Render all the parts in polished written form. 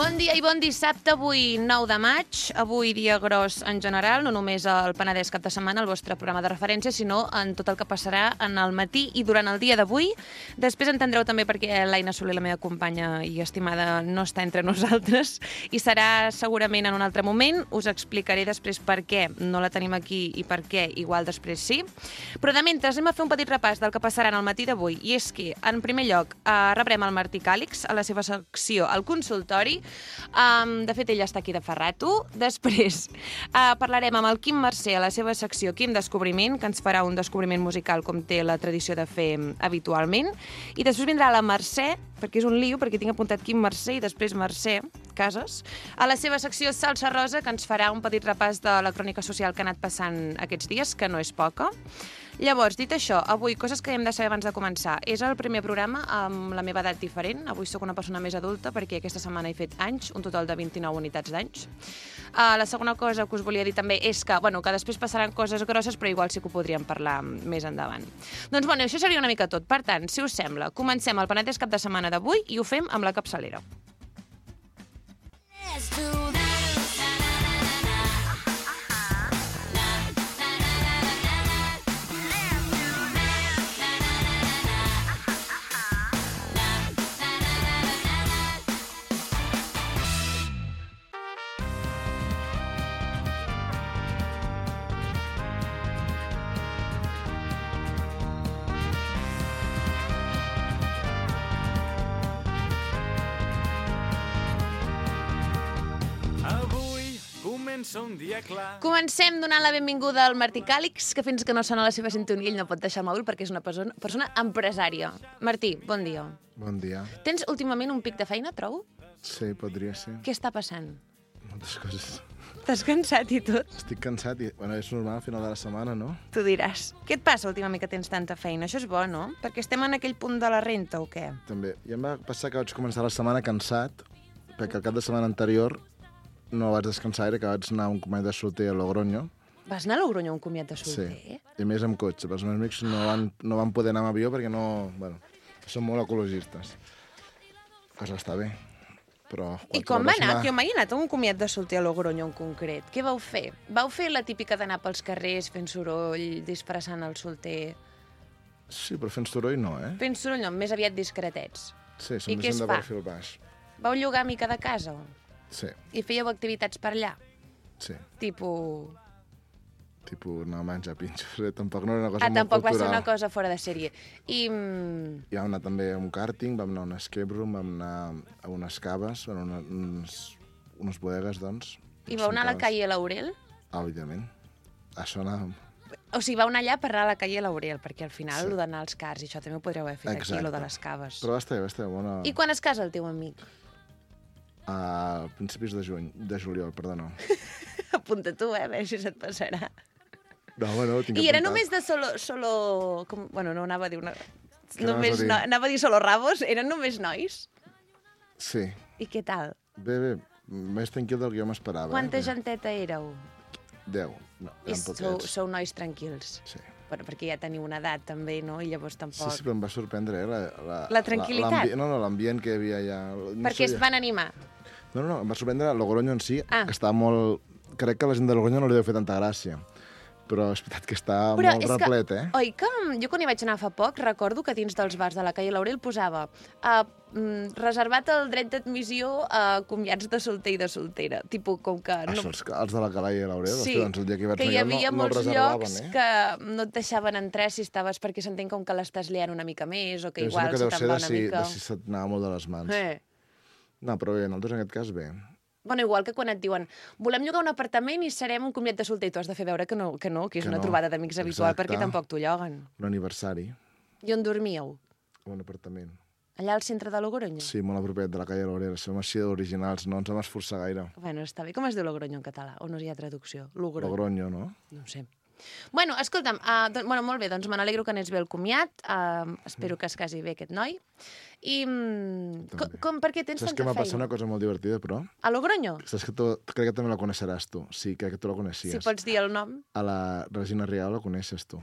Bon dia i bon dissabte, avui 9 de maig, avui dia gros en general, no només el Penedès cap de setmana, el vostre programa de referència, sinó en tot el que passarà en el matí i durant el dia d'avui. Després entendreu també perquè l'Aina Soler, la meva companya i estimada, no està entre nosaltres i serà segurament en un altre moment. Us explicaré després per què no la tenim aquí i per què igual després sí. Però de mentre anem a fer un petit repàs del que passarà en el matí d'avui, i és que, en primer lloc, rebrem el Martí Càlix a la seva secció al consultori. De fet, ell està aquí de fa rato. Després parlarem amb el Quim Mercè a la seva secció Quim Descobriment, que ens farà un descobriment musical com té la tradició de fer habitualment. I després vindrà la Mercè, perquè és un lío, perquè tinc apuntat Quim Mercè i després Mercè Casas, a la seva secció Salsa Rosa, que ens farà un petit repàs de la crònica social que ha anat passant aquests dies, que no és poca. Llavors, dit això, avui, coses que hem de saber abans de començar. És el primer programa amb la meva edat diferent. Avui sóc una persona més adulta perquè aquesta setmana he fet anys, un total de 29 unitats d'anys. La segona cosa que us volia dir també és que després passaran coses grosses, però igual sí que ho podríem parlar més endavant. Doncs això seria una mica tot. Per tant, si us sembla, comencem el Penedès cap de setmana d'avui i ho fem amb la capçalera. Un dia clar. Comencem donant la benvinguda al Martí Càlix, que fins que no sona la seva sintonia ell no pot deixar el mòbil perquè és una persona empresària. Martí, bon dia. Bon dia. Tens últimament un pic de feina, trobo? Sí, podria ser. Què està passant? Moltes coses. T'has cansat i tot? Estic cansat i és normal al final de la setmana, no? Tu diràs. Què et passa últimament que tens tanta feina? Això és bo, no? Perquè estem en aquell punt de la renta o què? També. I em va passar que vaig començar la setmana cansat, perquè el cap de setmana anterior no vaig descansar gaire, que vaig anar a un comiat de solter a Logroño. Vas anar a Logroño a un comiat de solter? Sí, i més amb cotxe. Els meus amics no van poder anar amb avió perquè són molt ecologistes. Cosa està bé. Però I com va anar? Que jo mai he anat a un comiat de solter a Logroño en concret. Què vau fer? Vau fer la típica d'anar pels carrers fent soroll, disfressant el solter? Sí, però fent soroll no, eh? Fent soroll no, més aviat discretets. Sí, som gent de perfil baix. Vau llogar mica de casa? Sí. I fèieu activitats per allà? Sí. Tipus anar a menjar pinxos. Tampoc no era una cosa molt tampoc cultural. va ser una cosa fora de sèrie. I vam anar també a un karting, vam anar a un escape room, vam anar a unes caves, unes bodegues, doncs. I vau anar a la calle Laurel? Òbviament. Això anàvem. O sigui, vau anar allà per anar a la calle Laurel, perquè al final Sí. lo d'anar als cars i això també ho podríeu haver fet aquí, lo de les caves. Però va estar bona. I quan es casa el teu amic? A principis de juliol, perdó. Apunta tu, a veure si se't passarà. No, ho tinc I era apuntat. només de solo... no anava a dir una... anaves a dir? Anava a dir solo rabos, eren només nois? Sí. I què tal? Bé, més tranquil del que jo m'esperava. Quanta genteta éreu? 10. No, eren poquets. Sou nois tranquils. Sí. Bueno, perquè ja teniu una edat, també, no? I llavors tampoc... Sí, però em va sorprendre, La tranquil·litat? L'ambient que hi havia allà. Perquè es van animar. No, em va sorprendre Logroño en si, que estava molt... Crec que la gent de Logroño no li deu fer tanta gràcia. Però és veritat que està molt replet, eh? Oi que jo quan hi vaig anar fa poc recordo que dins dels bars de la calle Laurel posava reservat el dret d'admissió a comiats de solter i de soltera. Tipo, com que... Això, els de la calle Laurel, sí, doncs el dia que hi vaig que hi havia no molts llocs eh? que no et deixaven entrar si estaves, perquè s'entén com que l'estàs liant una mica més, o que igual que se deu te'n ser va una mica... si se't anava molt de les mans. No, però bé, nosaltres en aquest cas bé. Bueno, igual que quan et diuen volem llogar un apartament i serem un comiat de solter i tu has de fer veure que és una trobada d'amics habitual, perquè tampoc t'ho lloguen. Un aniversari. I on dormíeu? Un apartament. Allà al centre de Logroño? Sí, molt a propet de la calle Laurel. Som així d'originals, no ens vam esforçar gaire. Bueno, està bé. Com es diu Logroño en català? O no hi ha traducció? Logroño, no? No ho sé. Bueno, escolta'm, molt bé, doncs me n'alegro que anés bé el comiat, espero que es casi bé aquest noi. I per què tens tanta feina? Saps que m'ha passat una cosa molt divertida, però? A Logroño? Saps que crec que també la coneixeràs tu. Sí, crec que tu la coneixies. Si pots dir el nom. A la Regina Rial la coneixes tu.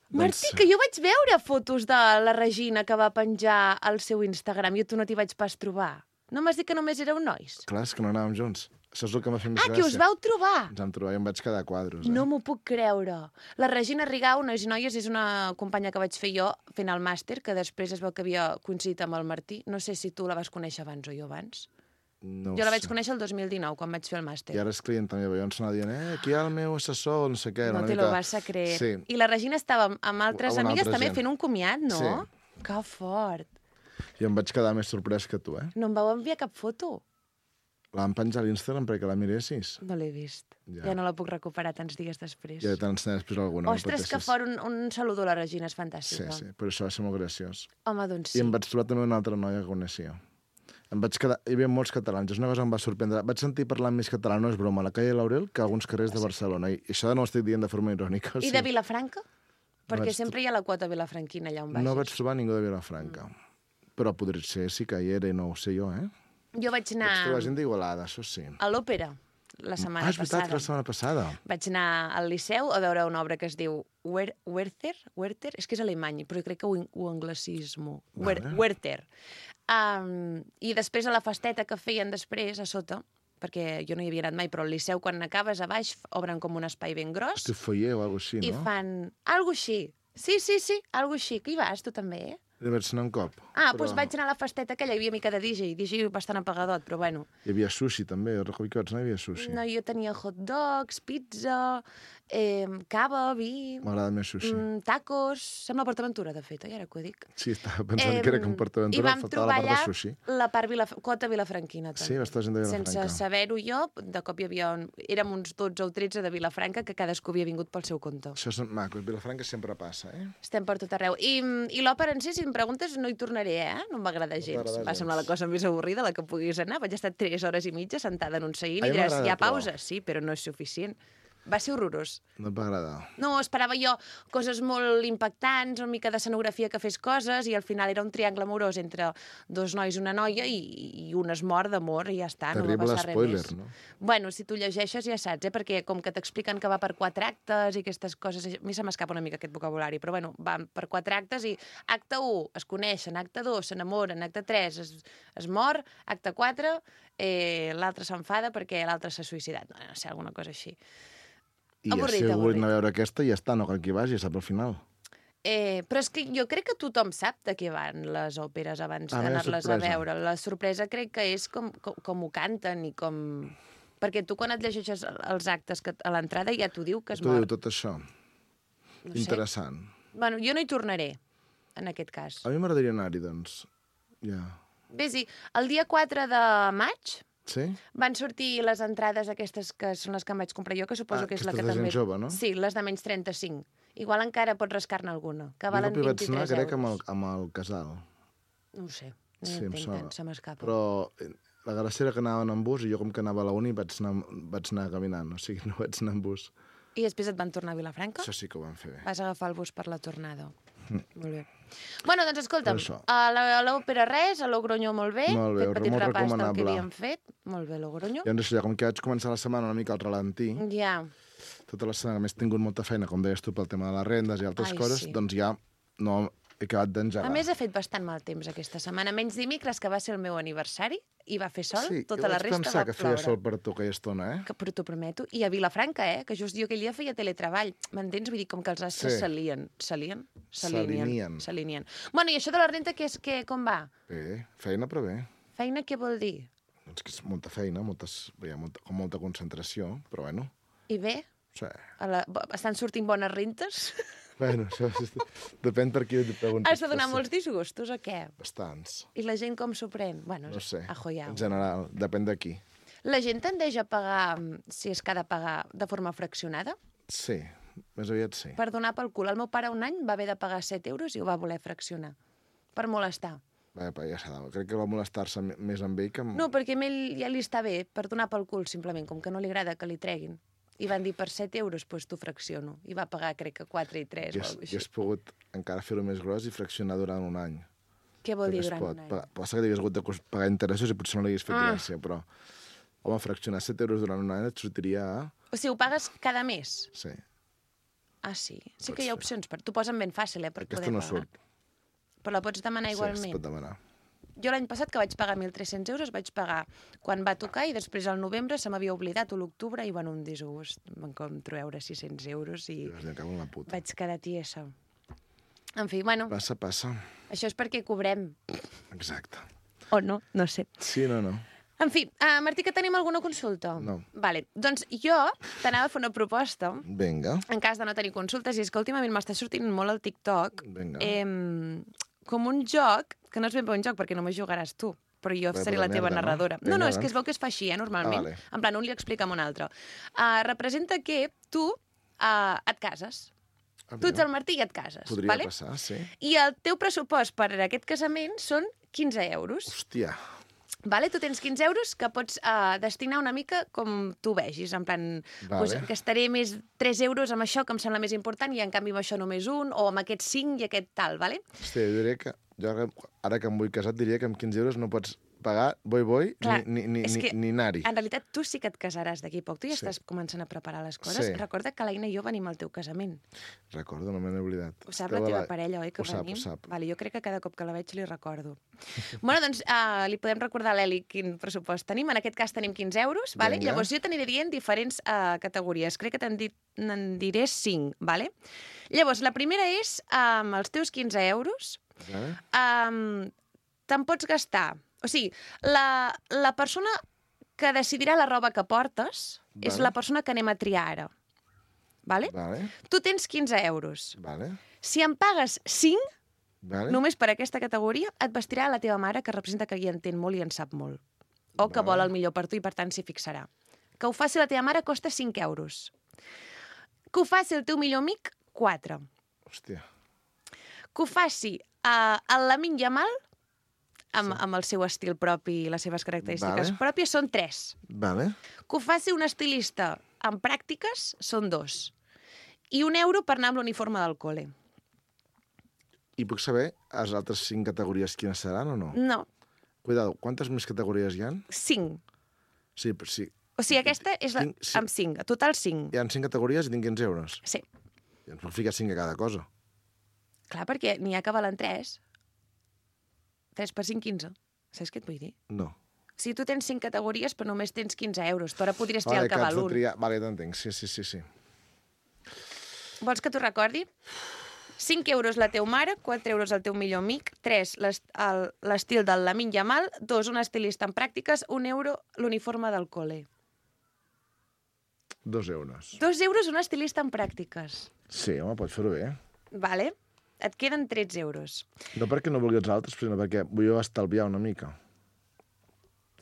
Martí, que jo vaig veure fotos de la Regina que va penjar al seu Instagram i tu no t'hi vaig pas trobar. No m'has dit que només éreu nois? Clar, és que no anàvem junts. Això és el que m'ha fet més gràcia. Que us vau trobar! Ens vam trobar i em vaig quedar a quadros. No m'ho puc creure. La Regina Rigau, Nois i Noies, és una companya que vaig fer jo fent el màster, que després es veu que havia coincidit amb el Martí. No sé si tu la vas conèixer abans o jo abans. No Jo la vaig conèixer el 2019, quan vaig fer el màster. I ara és clienta meva. Jo ens anava dient, aquí hi ha el meu assessor, no sé què. No te lo vas a creer. Sí. I la Regina estava amb altres amigues també fent un comiat, no? Sí. Que fort. I em vaig quedar més sorprès que tu, No em vau enviar cap foto? La vam penjar a l'Instagram perquè la miressis. No l'he vist. Ja no la puc recuperar tants dies després. Ja t'ensenyaré després alguna. Ostres, que fort, un saludo a la Regina, és fantàstica. Sí, però això va ser molt graciós. Home, doncs sí. I em vaig trobar també una altra noia que coneixia. Em vaig quedar... Hi havia molts catalans, és una cosa que em va sorprendre. Vaig sentir parlar més català, no és broma, a la calle Laurel que a alguns carrers de Barcelona. I això no ho estic dient de forma irònica. I de Vilafranca? Perquè sempre hi ha la quota vilafranquina allà on baixes. No vaig trobar ningú de Vilafranca. Però podria ser, sí que hi era i no ho sé jo, Jo vaig anar... Vaig trobar gent d'Igualada, això sí. A l'òpera, la setmana passada. És veritat, la setmana passada. Vaig anar al Liceu a veure una obra que es diu Werther, és que és alemany, però jo crec que ho anglicismo. Werther. I després a la festeta que feien després, a sota, perquè jo no hi havia anat mai, però al Liceu, quan acabes a baix, obren com un espai ben gros. Hosti, foyer o alguna cosa així, no? I fan... Algo així. Sí, algo així. Que hi vas, tu també, Hi vaig anar un cop. Doncs vaig anar a la festeta aquella, hi havia mica de DJ bastant apagadot, però bueno. Hi havia sushi, també. Jo recordo que vaig anar, hi havia sushi. No, jo tenia hot dogs, pizza, cava, vi... M'agrada més sushi. Tacos... Sembla PortAventura, de fet, ara que ho dic. Sí, estava pensant que era com PortAventura, faltava la part de sushi. I vam trobar allà la part quota vilafranquina, també. Sí, va estar gent de Vilafranca. Sense saber-ho jo, de cop hi havia... Érem uns 12 o 13 de Vilafranca que cadascú havia vingut pel seu compte. Això és maco, Vilafranca sempre passa, Estem per tot arreu. I l'òpera en si, si em preguntes, no hi tornaré, No em va agradar gens. Va semblar la cosa més avorrida, la que puguis anar. Vaig estar 3 hores i mitja sentada en un seguint i diràs, hi ha pausa? Sí, però no és suficient. Va ser horrorós. No et va agradar? No, esperava jo coses molt impactants, una mica d'escenografia que fes coses, i al final era un triangle amorós entre 2 nois i una noia, i un es mor d'amor, i ja està, no va passar spoiler, res més. No? Bueno, si tu llegeixes ja saps, perquè com que t'expliquen que va per 4 actes i aquestes coses, a mi se m'escapa una mica aquest vocabulari, però bueno, van per 4 actes i acte 1 es coneixen, acte 2 s'enamoren, acte 3 es mor, acte 4 l'altre s'enfada perquè l'altre s'ha suïcidat, no sé, alguna cosa així. I si algú anar a veure aquesta, ja està, no cal que hi vagi, sap al final. Però és que jo crec que tothom sap de què van les òperes abans d'anar-les a veure. La sorpresa crec que és com ho canten i com... Perquè tu quan et llegeixes els actes a l'entrada ja t'ho diu que es mor. T'ho diu tot això. No interessant. Bueno, jo no hi tornaré, en aquest cas. A mi m'agradaria anar-hi, doncs. Ja. Ves-hi, el dia 4 de maig... Sí? Van sortir les entrades aquestes que són les que em vaig comprar jo, que suposo que és la que també... Aquestes de gent jove, no? Sí, les de menys 35. Igual encara pots rascar-ne alguna, que valen 23 euros. Jo vaig anar, crec, amb el casal. No ho sé, no hi entenc tant, se m'escapa. Però la gràcia era que anaven en bus i jo com que anava a la uni vaig anar caminant, o sigui, no vaig anar en bus. I després et van tornar a Vilafranca? Això sí que ho vam fer bé. Vas agafar el bus per la tornada. Molt bé. Bueno, doncs escolta'm, a l'òpera res, a Logroño molt bé, fet petit repàs del que havíem fet. Molt bé, Logroño. I doncs, com que vaig començar la setmana una mica al ralentí, tota la setmana, a més, he tingut molta feina, com deies tu, pel tema de les rendes i altres coses, doncs ja no he acabat d'engegar. A més, ha fet bastant mal temps aquesta setmana. Menys dimecres, que va ser el meu aniversari, i va fer sol, tota la resta va ploure. Sí, jo vaig pensar que feia sol per tu aquella estona, Però t'ho prometo. I a Vilafranca, que just jo aquell dia feia teletreball. M'entens? Vull dir, com que els astres s'alineen. Bueno, i això de la renta, com va? Bé, feina, però bé. Feina què vol dir? Doncs que és molta feina, com molta concentració, però bueno. I bé? Sí. Estan sortint bones rentes? Bueno, això depèn per qui et preguntis. Has de donar molts disgustos o què? Bastants. I la gent com s'ho pren? Bueno, no sé, en general, depèn de qui. La gent tendeix a pagar, si és que ha de pagar, de forma fraccionada? Sí, més aviat sí. Per donar pel cul. El meu pare un any va haver de pagar 7 euros i ho va voler fraccionar. Per molestar. Ja s'ha de... Crec que va molestar-se més amb ell que amb... No, perquè a ell ja li està bé, per donar pel cul, simplement, com que no li agrada que li treguin. I van dir, per 7 euros, doncs t'ho fracciono. I va pagar, crec que 4 i 3 o alguna cosa així. I has pogut encara fer-ho més gros i fraccionar durant un any. Què vol dir durant un any? Passa que hagués hagut de pagar interessos i potser no l'hagués fet gràcia, però... Home, fraccionar 7 euros durant un any et sortiria a... O sigui, ho pagues cada mes? Sí. Ah, sí? Sí que hi ha opcions. T'ho posen ben fàcil, per poder pagar. Aquesta no surt. Però la pots demanar igualment? Sí, es pot demanar. Jo l'any passat, que vaig pagar 1.300 euros, vaig pagar quan va tocar i després al novembre se m'havia oblidat, o l'octubre, i un disgust. Vam treure 600 euros i vaig quedar tiesa. En fi, bueno... Passa. Això és perquè cobrem. Exacte. O no, no sé. Sí, no. En fi, Martí, que tenim alguna consulta? No. Vale, doncs jo t'anava a fer una proposta. Vinga. En cas de no tenir consultes, i és que últimament m'està sortint molt al TikTok. Vinga. Com un joc, que no és ben bé un joc perquè només jugaràs tu, però jo seré la teva narradora. No, és que es veu que es fa així, normalment. Vale. En plan, un li explica a un altre. Representa que tu et cases. Tu ets el Martí i et cases. Podria passar, sí. I el teu pressupost per a aquest casament són 15 euros. Hòstia. Vale? Tu tens 15 euros que pots destinar una mica com tu vegis. En plan, doncs, gastaré més 3 euros amb això, que em sembla més important, i en canvi amb això només un, o amb aquest 5 i aquest tal, vale? Hòstia, jo diria que... Ara que em vull casar, diria que amb 15 euros no pots pagar boi, ni anar-hi. En realitat, tu sí que et casaràs d'aquí poc. Tu ja estàs començant a preparar les coses. Sí. Recorda que l'Aina i jo venim al teu casament. Recordo, no me n'he oblidat. Ho sap la teva parella, oi, que venim? Ho sap. Vale, jo crec que cada cop que la veig li recordo. Bueno, doncs li podem recordar a l'Eli quin pressupost tenim. En aquest cas tenim 15 euros, vale? Llavors jo t'aniré dient diferents categories. Crec que te'n diré 5, vale? Llavors, la primera és, amb els teus 15 euros, te'n pots gastar... O sigui, la persona que decidirà la roba que portes és la persona que anem a triar ara. Vale? Tu tens 15 euros. Si em pagues 5, només per aquesta categoria, et vestirà la teva mare, que representa que hi entén molt i en sap molt. O que vol el millor per tu i, per tant, s'hi fixarà. Que ho faci la teva mare costa 5 euros. Que ho faci el teu millor amic, 4. Hòstia. Que ho faci el Lamine Yamal, amb el seu estil propi i les seves característiques pròpies, són 3. Que ho faci un estilista amb pràctiques, són 2. I 1 euro per anar amb l'uniforme del col·le. I puc saber les altres 5 categories quines seran o no? No. Cuidado, quantes més categories hi ha? 5. Sí, però sí. O sigui, aquesta és amb 5. A total 5. Hi ha 5 categories i tinc 15 euros? Sí. I ens puc ficar 5 a cada cosa. Clar, perquè n'hi ha que valen 3. 3 per 5, 15. Saps què et vull dir? No. Si tu tens 5 categories, però només tens 15 euros. Tu ara podries triar el que val un. Vale, t'entenc. Sí. Vols que t'ho recordi? 5 euros la teu mare, 4 euros el teu millor amic, 3 l'estil del Lamine Yamal, 2 un estilista en pràctiques, 1 euro l'uniforme del col·le. 2 euros. 2 euros un estilista en pràctiques. Sí, home, pots fer-ho bé. Vale. Et queden 13 euros. No perquè no vulgui els altres, sinó perquè vull estalviar una mica.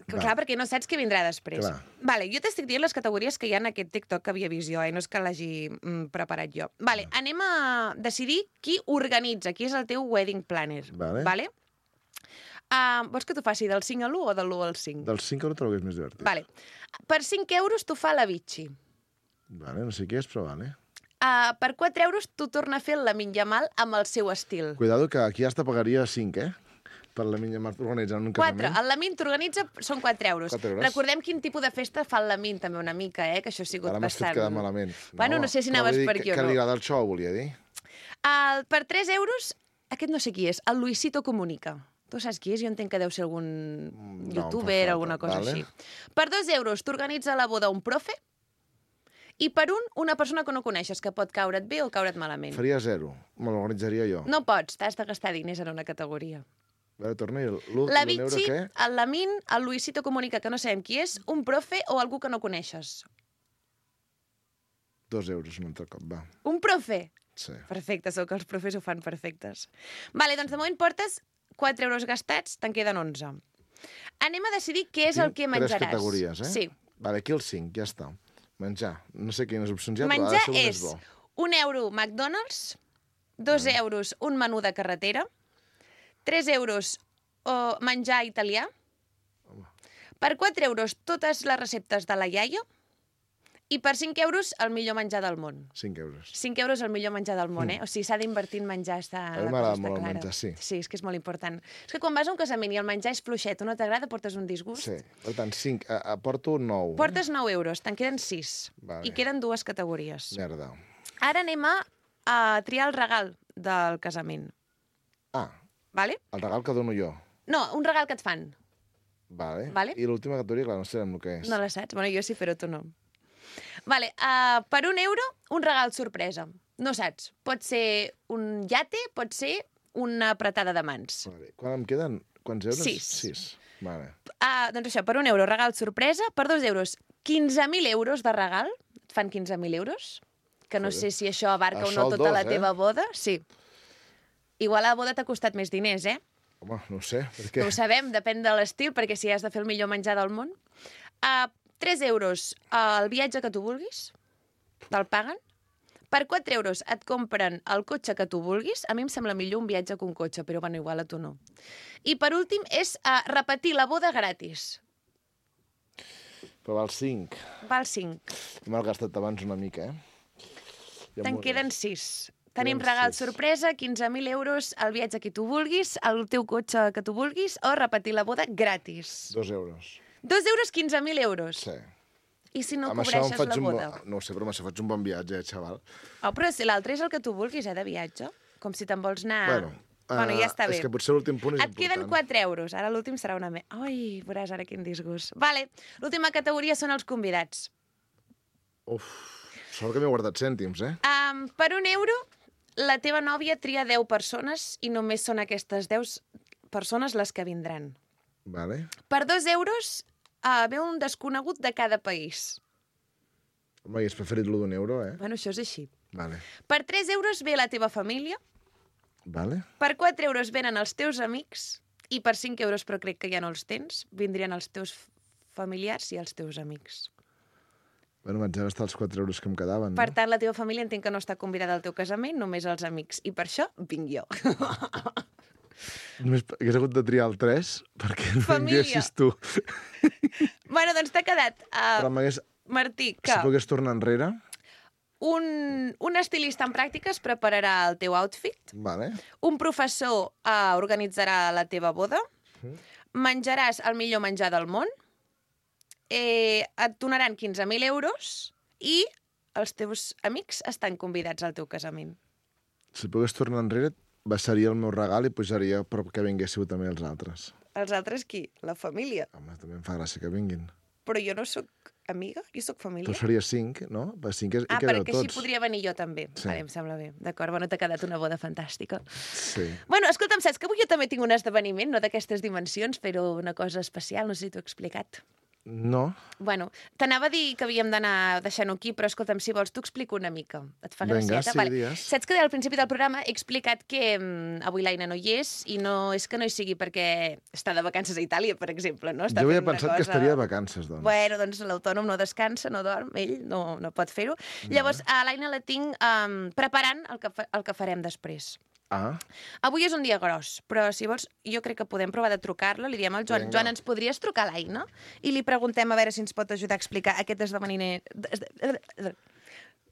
Clar, perquè no saps què vindrà després. Clar. Vale, jo t'estic dient les categories que hi ha en aquest TikTok que havia vist jo, no és que l'hagi preparat jo. Vale, anem a decidir qui organitza, qui és el teu wedding planner. Vale? Vols que t'ho faci del 5 a l'1 o de l'1 al 5? Del 5 al 1 trobo que és més divertit. Vale. Per 5 euros t'ho fa la Vichy. Vale, no sé què és, però vale. Per 4 euros t'ho torna a fer el Lamine Yamal amb el seu estil. Cuidado que aquí hasta pagaria 5, Per la Lamine Yamal organitzar un casament. 4. El Lamine t'organitza, són 4 euros. 4 euros. Recordem quin tipus de festa fa el Lamine, també una mica, que això ha sigut bastant... Ara m'has fet quedar malament. Bueno, no sé si anaves per aquí o no. Que li agrada el show, volia dir. Per 3 euros, aquest no sé qui és, el Luisito Comunica. Tu saps qui és? Jo entenc que deu ser algun youtuber, alguna cosa així. Per 2 euros t'organitza la boda un profe, i per una persona que no coneixes, que pot caure't bé o caure't malament. Faria 0. Me l'organitzaria jo. No pots, t'has de gastar diners en una categoria. A veure, torna. La Vichy, el Lamine, el Luisito Comunica, que no sabem qui és, un profe o algú que no coneixes. 2 euros un altre cop, va. Un profe? Sí. Perfecte, sou que els profes ho fan perfectes. Vale, doncs de moment portes 4 euros gastats, te'n queden 11. Anem a decidir què és el que menjaràs. 3 categories, Sí. Vale, aquí el 5, ja està. Menjar. No sé quines opcions hi ha, menjar però ha de ser un és més bo. 1 euro McDonald's, 2 euros un menú de carretera, 3 euros menjar italià, per 4 euros totes les receptes de la iaia, i per 5 euros el millor menjar del món. 5 euros. 5 euros el millor menjar del món, O sigui, s'ha d'invertir en menjar, està a mi m'agrada molt el menjar, sí. Sí, és que és molt important. És que quan vas a un casament i el menjar és fluixet o no t'agrada, portes un disgust. Sí, per tant, 5, porto 9. Portes 9 euros, te'n queden 6. Vale. I queden 2 categories. Merda. Ara anem a triar el regal del casament. Ah, vale? el regal que dono jo. No, un regal que et fan. Vale. Vale. I l'última categoria, clar, no sabem el que és. No la saps? Bueno, jo sí, però tu no. Vale, per €1, un regal sorpresa. No saps. Pot ser un iate, pot ser una apretada de mans. Vale. Quan em queden? Quants euros? 6. Vale. Doncs això, per €1, regal sorpresa. Per €2, 15.000 euros de regal. Et fan 15.000 euros. Que no sé si això abarca o no tota la teva boda. Sí. Igual a la boda t'ha costat més diners, eh? Home, no ho sé, per què? No ho sabem, depèn de l'estil, perquè si has de fer el millor menjar del món. 3 € el viatge que tu vulguis, te'l paguen. Per 4 € et compren el cotxe que tu vulguis. A mi em sembla millor un viatge que un cotxe, però bueno, igual a tu no. I per últim és repetir la boda gratis. Però val 5. Val 5. M'ha gastat abans una mica, eh? Ja Te'n m'ho queden veuràs. 6. Tenim Queden regal 6. sorpresa, 15.000 euros, el viatge que tu vulguis, el teu cotxe que tu vulguis, o repetir la boda gratis. 2 €. 2 €, 15.000 euros. Sí. I si no Amb això cobreixes la boda? No ho sé, però amb això faig un bon viatge, xaval. Oh, però si l'altre és el que tu vulguis, de viatge. Com si te'n vols anar... Bueno, ja està bé. És que potser l'últim punt és Et queden important. 4 €. Ara l'últim serà una... Ai, veuràs ara quin disgust. Vale, l'última categoria són els convidats. Uf, sort que m'he guardat cèntims, eh? Per €1, la teva nòvia tria 10 persones i només són aquestes 10 persones les que vindran. Vale. Per €2 ve un desconegut de cada país. Home, i és preferit l'1 d'un €, eh? Bueno, això és així. Vale. Per 3 € ve la teva família, Vale. per 4 € venen els teus amics i per 5 €, però crec que ja no els tens, vindrien els teus familiars i els teus amics. Bueno, vaig gastar els 4 € que em quedaven, Per no? tant, la teva família entenc que no està convidada al teu casament, només els amics. I per això vinc jo. Només hagués hagut de triar el 3 perquè no Família. vinguessis tu. Bueno, doncs t'ha quedat, Però m'hagués... Martí, que Si pogués tornar enrere... un estilista en pràctiques prepararà el teu outfit, Vale. un professor organitzarà la teva boda, menjaràs el millor menjar del món, et donaran 15.000 euros i els teus amics estan convidats al teu casament. Si pogués tornar enrere, baixaria el meu regal i pujaria perquè vinguéssiu també els altres. Els altres qui? La família. Home, també em fa gràcia que vinguin. Però jo no sóc amiga, jo sóc família. Tu series 5, no? Per 5 hi quedeu perquè tots. així podria venir jo també. Sí. Vale, em sembla bé. D'acord, bueno, t'ha quedat una boda fantàstica. Sí. Bueno, escolta'm, saps que avui jo també tinc un esdeveniment, no d'aquestes dimensions, però una cosa especial, no sé si t'ho he explicat. No? Bueno, t'anava a dir que havíem d'anar deixant-ho aquí, però escolta'm, si vols, t'ho explico una mica. Et fa Vinga, gracieta? sí, digues. Saps que al principi del programa he explicat que avui l'Aina no hi és, i no és que no hi sigui perquè està de vacances a Itàlia, per exemple, no? Està Jo havia fent una pensat que estaria de vacances, doncs. Bueno, doncs l'autònom no descansa, no dorm, ell no pot fer-ho. Llavors, a l'Aina la tinc preparant el que farem després. Ah, Avui és un dia gros, però si vols, jo crec que podem provar de trucar-la. Li diem al Joan, Vinga. Joan, ens podries trucar a l'Aina? I li preguntem a veure si ens pot ajudar a explicar aquest esdeveniment...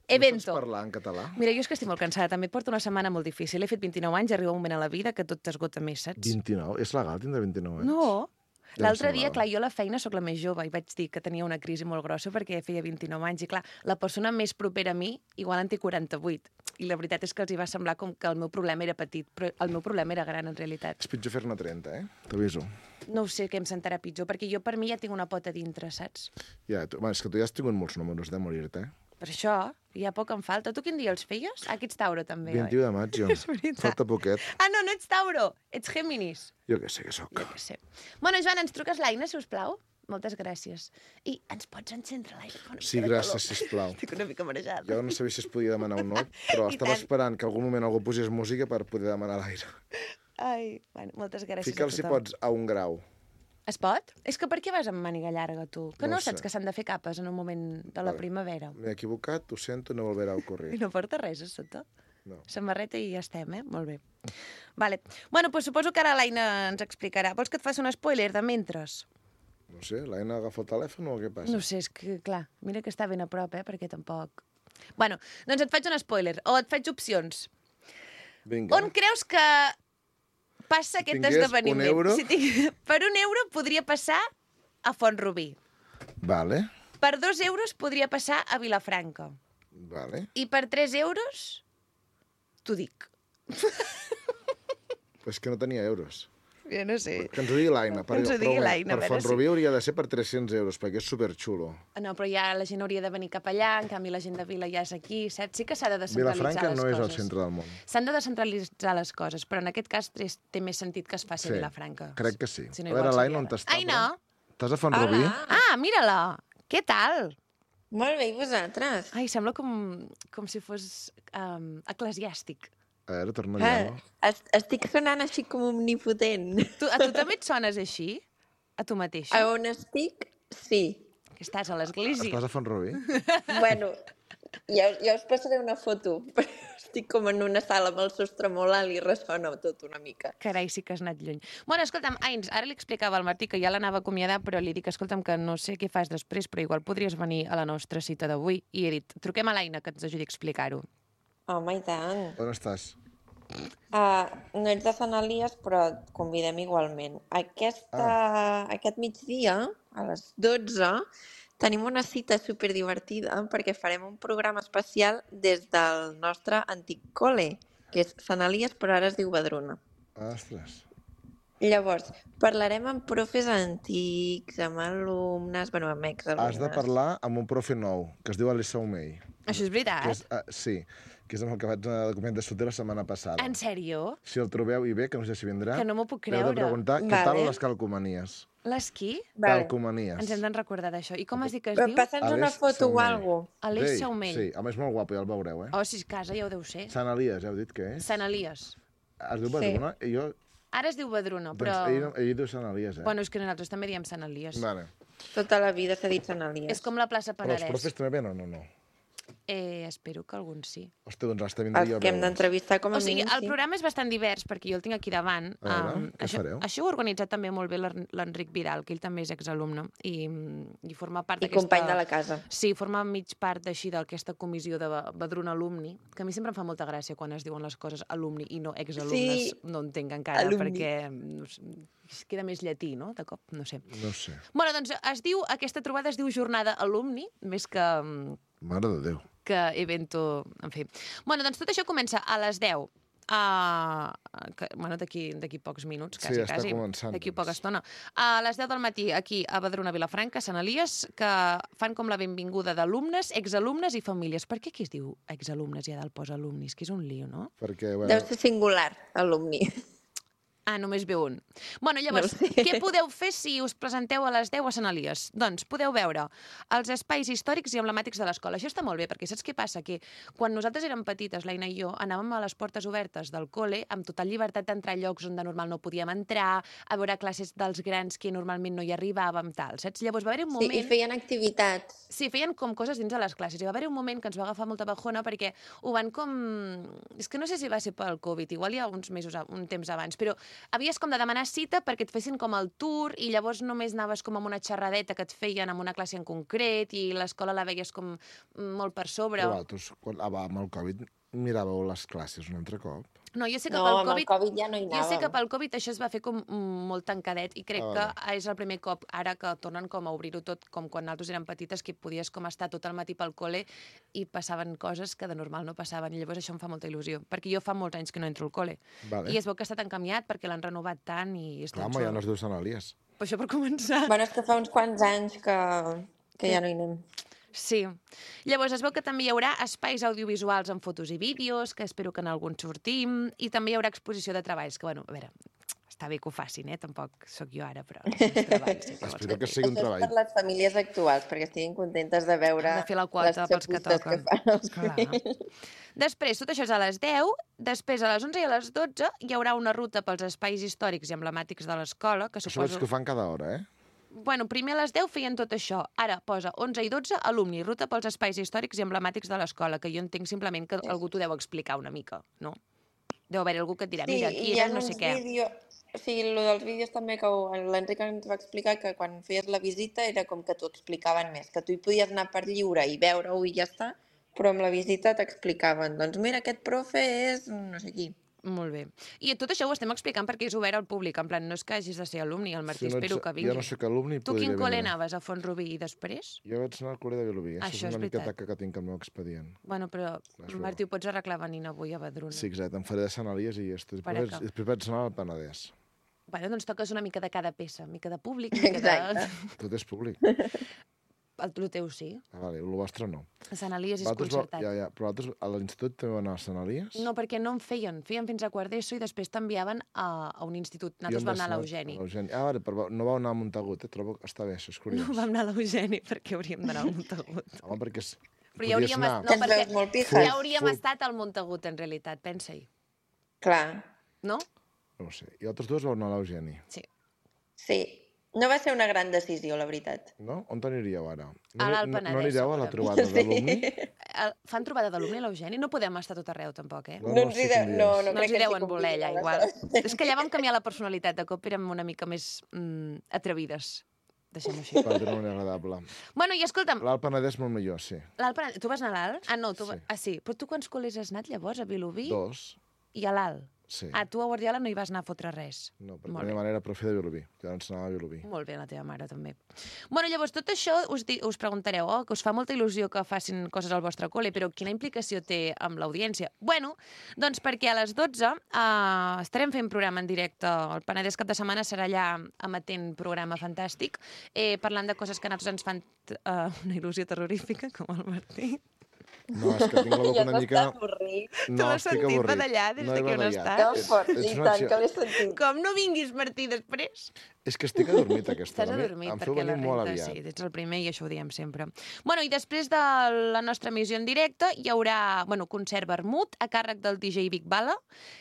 Evento. no saps parlar en català? Mira, jo és que estic molt cansada, també porto una setmana molt difícil. He fet 29 anys, arriba un moment a la vida que tot t'esgota més, saps? 29? És legal tindre 29 anys? No. Ja L'altre em dia, semblava. clar, jo a la feina sóc la més jove i vaig dir que tenia una crisi molt grossa perquè feia 29 anys i, clar, la persona més propera a mi igual en té 48. I la veritat és que els hi va semblar com que el meu problema era petit, però el meu problema era gran, en realitat. És pitjor fer-ne 30, eh? T'aviso. No ho sé què em sentarà pitjor, perquè jo per mi ja tinc una pota dintre, saps? Ja, és que tu ja has tingut molts números de morir-te, eh? Per això, ja poc em falta. Tu quin dia els feies? Ah, aquí ets Tauro, també, 21 de maig, jo. És veritat. Falta poquet. Ah, no ets Tauro, ets Géminis. Jo què sé què sóc. Jo què sé. Bueno, Joan, ens truques l'Aina, si us plau? Moltes gràcies. I ens pots encendre l'aire? Sí, gràcies, sisplau. Estic una mica marejada. Jo no sabia si es podia demanar un no, però I estava tant. esperant que algun moment algú posés música per poder demanar l'aire. Ai, bueno, moltes gràcies Fica'l, a si tothom. pots, a 1 grau. Es pot? És que per què vas amb màniga llarga, tu? Que No no, ho sé. saps que s'han de fer capes en un moment de la Vale. primavera? M'he equivocat, ho sento, no volverà a I ocorrir. no porta res a sota? No. Samarreta i ja estem, eh? Molt bé. Vale. Bueno, doncs suposo que ara l'Aina ens explicarà. Vols que et faci un spoiler de mentres? No sé, l'Aina agafa el telèfon o què passa? No sé, és que, clar, mira que està ben a prop, perquè tampoc... Bueno, doncs et faig un spoiler, o et faig opcions. Vinga. On creus que passa aquest tingués esdeveniment? €1? Per €1 podria passar a Font-rubí. Vale, Per 2 € podria passar a Vilafranca. vale. I per 3 € t'ho dic. Però és que no tenia euros. Jo no sé. Que ens ho digui l'Aina. Que ens ho digui l'Aina, a Per veure Font-rubí hauria de ser per 300 euros, perquè és superxulo. No, però ja la gent hauria de venir cap allà, en canvi la gent de Vila ja és aquí, saps? Sí que s'ha de descentralitzar Vilafranca les no és coses. el centre del món. S'han de descentralitzar les coses, però en aquest cas té més sentit que es faci a Vilafranca. Crec que sí. Si no, A veure, igual l'Aina, on seria t'està? Aina! Estàs a Font-rubí? Hola. Ah, mira-la! Què tal? Molt bé, i vosaltres? Ai, sembla com si fos eclesiàstic. A veure, torna allà. Estic sonant així com omnipotent. A tu també et sones així? A tu mateixa? A on estic, sí. Que estàs a l'església. Estàs a Font-rubí? Bueno, ja us passaré una foto. Estic com en una sala amb el sostre molt alt i ressona tot una mica. Carai, sí que has anat lluny. Bueno, escolta'm, Ains, ara li explicava al Martí que ja l'anava a acomiadar, però li dic, escolta'm, que no sé què fas després, però igual podries venir a la nostra cita d'avui. I he dit, truquem a l'Aina que ens ajudi a explicar-ho. Home, i tant. On estàs? No ets de Sant Elies, però et convidem igualment. Aquest migdia, a les 12, tenim una cita superdivertida perquè farem un programa especial des del nostre antic col·le, que és Sant Elies, però ara es diu Badruna. Ostres. Llavors, parlarem amb profes antics, amb alumnes, amb exalumnes. Has de parlar amb un profe nou, que es diu Alissa Omei. Això és veritat? Sí, que és amb el que vaig anar al document de sortir la setmana passada. En sèrio? Si el trobeu i bé, que no sé si vindrà, Que no m'ho puc creure. heu de preguntar què tal les calcomanies. Les qui? Calcomanies. Ens hem de recordar d'això. I com has dit que es diu? Passa'ns una foto o alguna cosa. Aleix Saumell. Sí, home, és molt guapo, ja el veureu, eh? Oh, si és casa, ja ho deu ser. Sant Elies, heu dit que és? Sant Elies. Es diu Badruna? I jo... Ara es diu Badruna, però... Doncs ell diu Sant Elies, Bueno, és que nosaltres també diem Sant Elies. Vale. Tota la vida s'ha dit Sant Elies. És com la plaça Però Penedès. els profes també venen o no? Espero que alguns sí. Hòstia, doncs hasta vindria jo a Els que hem veure'ls. d'entrevistar com a O sigui, mínim, el programa és bastant divers, perquè jo el tinc aquí davant. A veure, què fareu? Això ho ha organitzat també molt bé l'Enric Vidal, que ell també és exalumne, i forma part I d'aquesta... company de la casa. Sí, forma mig part així d'aquesta comissió de Badruna Alumni, que a mi sempre em fa molta gràcia quan es diuen les coses alumni i no exalumnes. Sí. No entenc encara, Alumni. perquè no sé, queda més llatí, no?, de cop, no sé. No sé. Bueno, doncs aquesta trobada es diu Jornada Alumni, més que Mare de Déu. evento, en fi. Bueno, doncs tot això comença a les 10. D'aquí pocs minuts, quasi, Sí, està quasi. començant, D'aquí doncs. poca estona. A les 10 del matí, aquí a Badruna, Vilafranca, Sant Elies, que fan com la benvinguda d'alumnes, exalumnes i famílies. Per què aquí es diu exalumnes i a dalt posa alumnis? Que és un lío, no? Perquè, bueno, Deu ser singular, alumni. Només ve un. Bueno, llavors, No ho sé. què podeu fer si us presenteu a les 10 a Sant Elies? Doncs podeu veure els espais històrics i emblemàtics de l'escola. Això està molt bé, perquè saps què passa? Que quan nosaltres érem petites, l'Aina i jo, anàvem a les portes obertes del col·le amb total llibertat d'entrar a llocs on de normal no podíem entrar, a veure classes dels grans que normalment no hi arribàvem, tal, saps? Llavors va haver-hi un Sí, moment... i feien activitats. Sí, feien com coses dins de les classes. I va haver-hi un moment que ens va agafar molta bajona perquè ho van com... És que no sé si va ser pel Covid, igual hi ha uns mesos, un temps abans, però havies com de demanar cita perquè et fessin com el tour i llavors només anaves com amb una xerradeta que et feien en una classe en concret i l'escola la veies com molt per sobre. però vosaltres, amb el Covid, miràveu les classes un altre cop? No, jo sé que No, pel amb el Covid ja no hi Jo sé que anàvem. pel Covid això es va fer com molt tancadet i crec que és el primer cop ara que tornen com a obrir-ho tot com quan nosaltres érem petites que podies com estar tot el matí pel col·le i passaven coses que de normal no passaven i llavors això em fa molta il·lusió perquè jo fa molts anys que no entro al col·le i es veu que està tan canviat perquè l'han renovat tant i és Clar, tan home, ja xulo. no es diu Sant Elies. Per això per començar. Bueno, és que fa uns quants anys que ja no hi anem. Sí. Llavors es veu que també hi haurà espais audiovisuals amb fotos i vídeos, que espero que en alguns sortim, i també hi haurà exposició de treballs, que, bueno, a veure, està bé que ho facin, Tampoc sóc jo ara, però els treballs sí que vols Espero que fer. sigui un Això és treball. per les famílies actuals, perquè estiguin contentes de veure Han de fer la quota les pels que xapustes toquen. fan els Clar. fills. Després, tot això és a les 10, després a les 11 i a les 12 hi haurà una ruta pels espais històrics i emblemàtics de l'escola, que Això suposo... veig que ho fan cada hora, Bueno, primer a les 10 feien tot això. Ara posa 11 i 12, alumni, ruta pels espais històrics i emblemàtics de l'escola, que jo entenc simplement que algú t'ho deu explicar una mica, no? Deu haver algú que et dirà, mira, aquí hi ha era no sé uns què. vídeos... O sigui, el dels vídeos també que l'Enric ens va explicar que quan feies la visita era com que t'ho explicaven més, que tu hi podies anar per lliure i veure-ho i ja està, però amb la visita t'explicaven, doncs mira, aquest profe és no sé qui. Molt bé. I tot això ho estem explicant perquè és obert al públic, en plan, no és que hagis de ser alumni, el Martí, Si no ets- espero que vingui. jo no sóc alumni, Tu quin podria col·le vindre. anaves, a Font-rubí i després? Jo vaig anar al col·le de Vilobí. Això Això és és una mica veritat. taca que tinc al meu expedient. Bueno, però, Això. Martí, ho pots arreglar venint avui a Badruna. Sí, exacte. Em faré de Sant Elies i després Pareca. vaig anar al Penedès. Bueno, doncs toques una mica de cada peça, mica de públic, mica Exacte. Tot és públic. El teu sí. Vale, el vostre no. A Sant Elies és Vosaltres concertat. Ja, però vosaltres a l'institut també van anar a Sant Elies? No, perquè no en feien. Feien fins a quart d'ESO i després t'enviaven a un institut. Nosaltres vam anar a l'Eugeni. Vale, però no vau anar a Montagut, Trobo que està bé, això és curiós. No vam anar a l'Eugeni perquè hauríem d'anar al Montagut. Home, perquè Però ja hauríem, Que ens veus molt pijas. ja hauríem estat al Montagut, en realitat, pensa-hi. Clar, No? No ho sé. I altres dos vau anar a l'Eugeni, Sí. sí. No va ser una gran decisió, la veritat. no? On aniríeu ara? A l'Alt Penedès, No anireu a la segurament. trobada d'alumni? Fan trobada d'alumni a l'Eugeni? No podem estar tot arreu, tampoc, eh? No, No ens hi sí que de... em No, diries. no No crec ens hi que deuen voler, allà, igual. És que allà vam canviar la personalitat. De cop érem una mica més atrevides. Deixem-ho així. Va, d'una manera agradable. Bueno, i escolta'm, L'Alt Penedès molt millor, sí. l'Alt Penedès... Tu vas anar a l'Alt? Ah, no, tu... Sí. Ah, sí. Però tu quants col·les has anat, llavors, a Vilobí? 2, I a l'Alt? sí. Ah, tu a Guardiola no hi vas anar a fotre res. No, perquè Molt la bé. meva mare era profe de Vilobí. Jo ens anava a Vilobí. Molt bé, la teva mare, també. Bueno, llavors, tot això us preguntareu, que us fa molta il·lusió que facin coses al vostre col·le, però quina implicació té amb l'audiència? Bueno, doncs perquè a les 12 estarem fent programa en directe. El Penedès cap de setmana serà allà emetent programa fantàstic, parlant de coses que a nosaltres ens fan una il·lusió terrorífica, com el Martí. No, és que tinc la boca una mica... avorrit. No, l'has estic sentit avorrit. badallar des de que he on badallat. estàs? Que fort, Ets i una tant, acció- que l'he sentit. Com no vinguis, Martí, després? És que estic adormit aquesta Estàs hora. adormit Em feu perquè la venir molt renta, aviat. sí, ets el primer i això ho diem sempre. Bueno, i després de la nostra emissió en directe hi haurà, concert vermut a càrrec del DJ Vic Bala,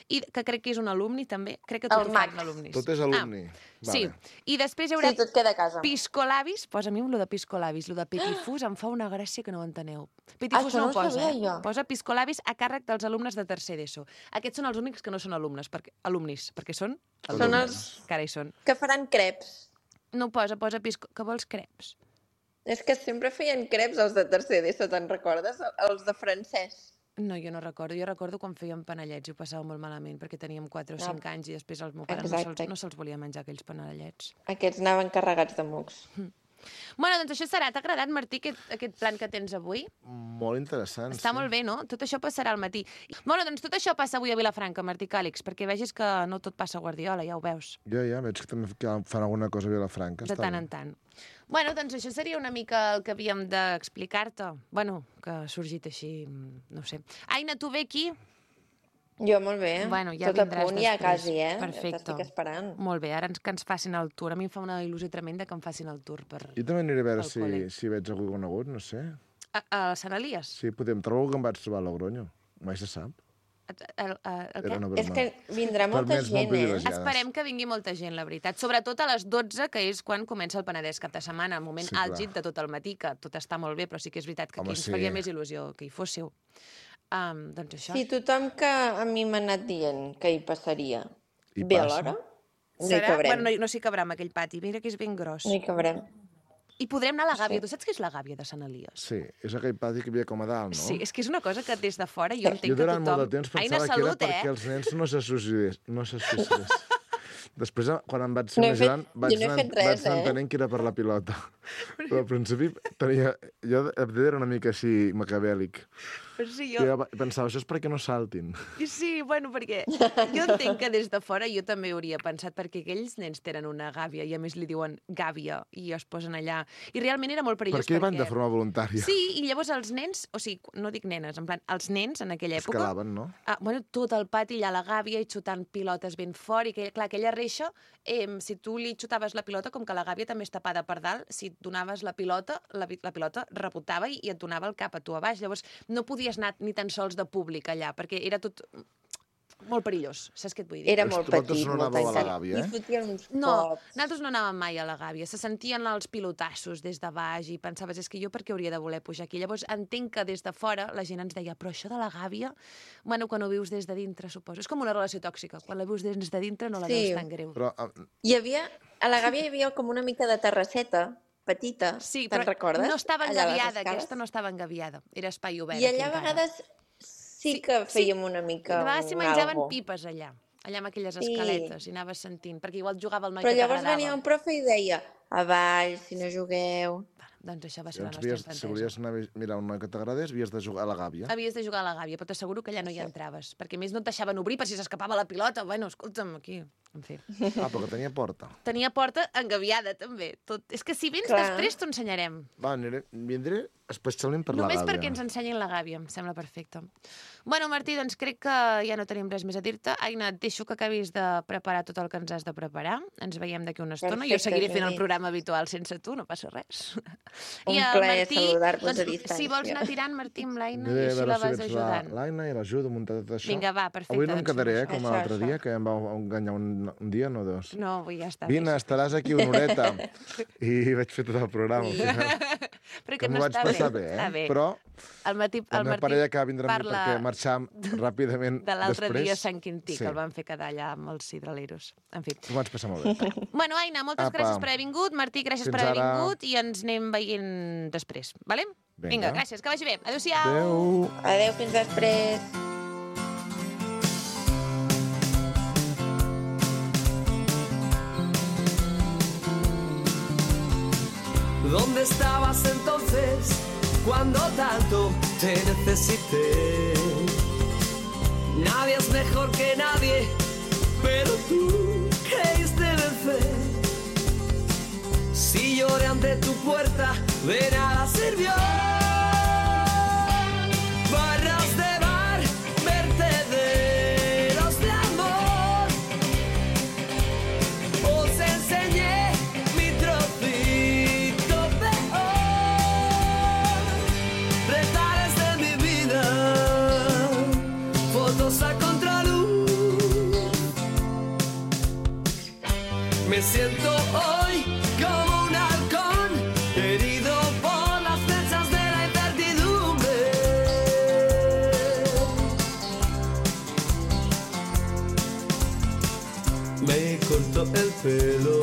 i que crec que és un alumni també, crec que tot El ho fan Max. alumnis. Tot és alumni. Sí, Vale. i després hi haurà Sí, tot queda a casa. piscolabis, posa a mi lo de piscolabis, lo de petifús em fa una gràcia que no ho enteneu. Petifús Això no no ho ho posa, sabia jo. posa piscolabis a càrrec dels alumnes de tercer d'ESO. Aquests són els únics que no són alumnes, alumnis, perquè són Són els que ara hi són. que faran creps. No posa que vols creps? És que sempre feien creps els de tercer d'ESO, te'n recordes? Els de francès. No, jo no recordo. Jo recordo quan fèiem panellets i ho passava molt malament perquè teníem 4 o 5 anys i després el meu pare Exacte. no se'ls volia menjar aquells panellets. Aquests anaven carregats de mocs. Bueno, doncs això serà. T'ha agradat, Martí, aquest plan que tens avui? Molt interessant, Està molt bé, no? Tot això passarà al matí. Bueno, doncs tot això passa avui a Vilafranca, Martí Càlix, perquè vegis que no tot passa a Guardiola, ja ho veus, Ja, veig que també fan alguna cosa a Vilafranca. de està tant bé. en tant. Bueno, doncs això seria una mica el que havíem d'explicar-te. Bueno, que ha sorgit així, no ho sé. Aina, tu ve aquí? Jo, molt bé. Bueno, ja Tot a vindràs punt, ja després. quasi, eh? Perfecte. T'estic esperant. Molt bé, ara que ens facin el tour. A mi em fa una il·lusió tremenda que em facin el tour per... Jo també aniré a veure Al col·le. si veig algú conegut, no sé. A Sant Elies? Sí, podem trobar que em vaig trobar a Logroño. Mai se sap. El Era què? una broma. És que vindrà Per mi molta ets molt gent, privilegiada. Esperem que vingui molta gent, la veritat. Sobretot a les 12, que és quan comença el Penedès cap de setmana, el moment Sí, clar. àlgid de tot el matí, que tot està molt bé, però sí que és veritat que Home, aquí ens sí. faria més il·lusió que hi fóssiu. Doncs això. Sí, tothom que a mi m'ha anat dient que hi passaria. I Bé, passa. alhora? No hi Serà? cabrem. Bueno, no s'hi cabrà amb aquell pati. Mira que és ben gros. No hi cabrem. I podrem anar a la Gàbia. Tu saps què és la Gàbia de Sant Elies? Sí, és aquell pati que hi havia com a dalt, no? Sí, és que és una cosa que des de fora jo entenc Jo que durant tothom... molt de temps Aina, pensava que era salut, perquè els nens no se suïcidés. Després, quan em vaig ser No he més fet- gran, jo no he fet res, vaig anar entenent que era per la pilota. Però al principi jo era una mica així macabèlic. Però sí, Jo pensava, això és perquè no saltin. Sí, bueno, perquè jo entenc que des de fora jo també hauria pensat, perquè aquells nens tenen una gàbia i a més li diuen gàbia i es posen allà. I realment era molt perillós. Per què van de forma voluntària? Sí, i llavors els nens, o sigui, no dic nenes, en plan, els nens en aquella època... Escalaven, no? Bueno, tot el pati allà a la gàbia i xutant pilotes ben fort, i que, clar, aquella reixa, si tu li xutaves la pilota, com que la gàbia també és tapada per dalt, si et donaves la pilota, la pilota rebotava i et donava el cap a tu a baix. Llavors no podies anar ni tan sols de públic allà, perquè era tot molt perillós, saps què et vull dir? Era Els molt vosaltres petit, no molt anàveu a la tancat. gàbia, eh? I fotien uns No, cops. nosaltres no anàvem mai a la gàbia. Se sentien els pilotassos des de baix i pensaves, és que jo per què hauria de voler pujar aquí? Llavors entenc que des de fora la gent ens deia, però això de la gàbia, bueno, quan ho vius des de dintre, suposo. És com una relació tòxica. Quan la vius des de dintre no la Sí. veus tan greu. Però A la gàbia hi havia com una mica de terrasseta petita, Sí, te'n però recordes? no estava Allà a les engaviada, escales. aquesta no estava engaviada. Era espai obert. I allà a aquí encara. vegades sí que fèiem una mica De vegades s'hi un menjaven algo. pipes allà amb aquelles Sí. escaletes, i anaves sentint, perquè igual jugava el noi Però que llavors t'agradava. venia un profe i deia avall, si no jugueu. Doncs això va ser la llavors, nostra si infantesa. volies anar a mirar un noi que t'agradés, havies de jugar a la gàbia. Havies de jugar a la gàbia, però t'asseguro que allà no hi entraves, perquè a més no et deixaven obrir per si s'escapava la pilota. Bueno, escolta'm, aquí, En fi. Ah, però que tenia porta. Tenia porta engaviada, també. És que si vens després t'ho ensenyarem. Va, vindré especialment per la Només gàbia. perquè ens ensenyin la gàbia, em sembla perfecte. Bueno, Martí, doncs crec que ja no tenim res més a dir-te. Aina, et deixo que acabis de preparar tot el que ens has de preparar. Ens veiem d'aquí una estona. Jo seguiré fent el programa habitual sense tu, no passa res. Un plaer saludar-vos a distància. Si vols anar tirant, Martí, amb l'Aina, i així la vas ajudant. L'Aina i l'ajudo a muntar tot això. Vinga, va, perfecte. Avui no em quedaré, com l'altre dia, que em vau enganyar un dia, no dos. No, avui ja està. Vine, estaràs aquí una horeta. I vaig fer tot el programa. Però que m'ho vaig passar bé, però el Martí la meva parella que vindrà amb mi perquè marxam ràpidament de l'altre després. dia a Sant Quintí, que el van fer quedar allà amb els hidraleros. En fi. Ho vaig passar molt bé. Bueno, Aina, moltes gràcies per haver vingut. Martí, gràcies per haver vingut. I ens anem veient després, vale? Vinga, gràcies, que vagi bé. Adéu-siau. Adéu. Adéu, fins després. ¿Dónde estabas entonces cuando tanto te necesité? Nadie es mejor que nadie, pero tú creíste vencer. Si lloré ante tu puerta, de nada sirvió. Barras de bar, vertederos de amor. Os enseñé mi trocito peor. Retares de mi vida, fotos a contraluz. Me siento hoy como un halcón, herido por las flechas de la incertidumbre. Me corto el pelo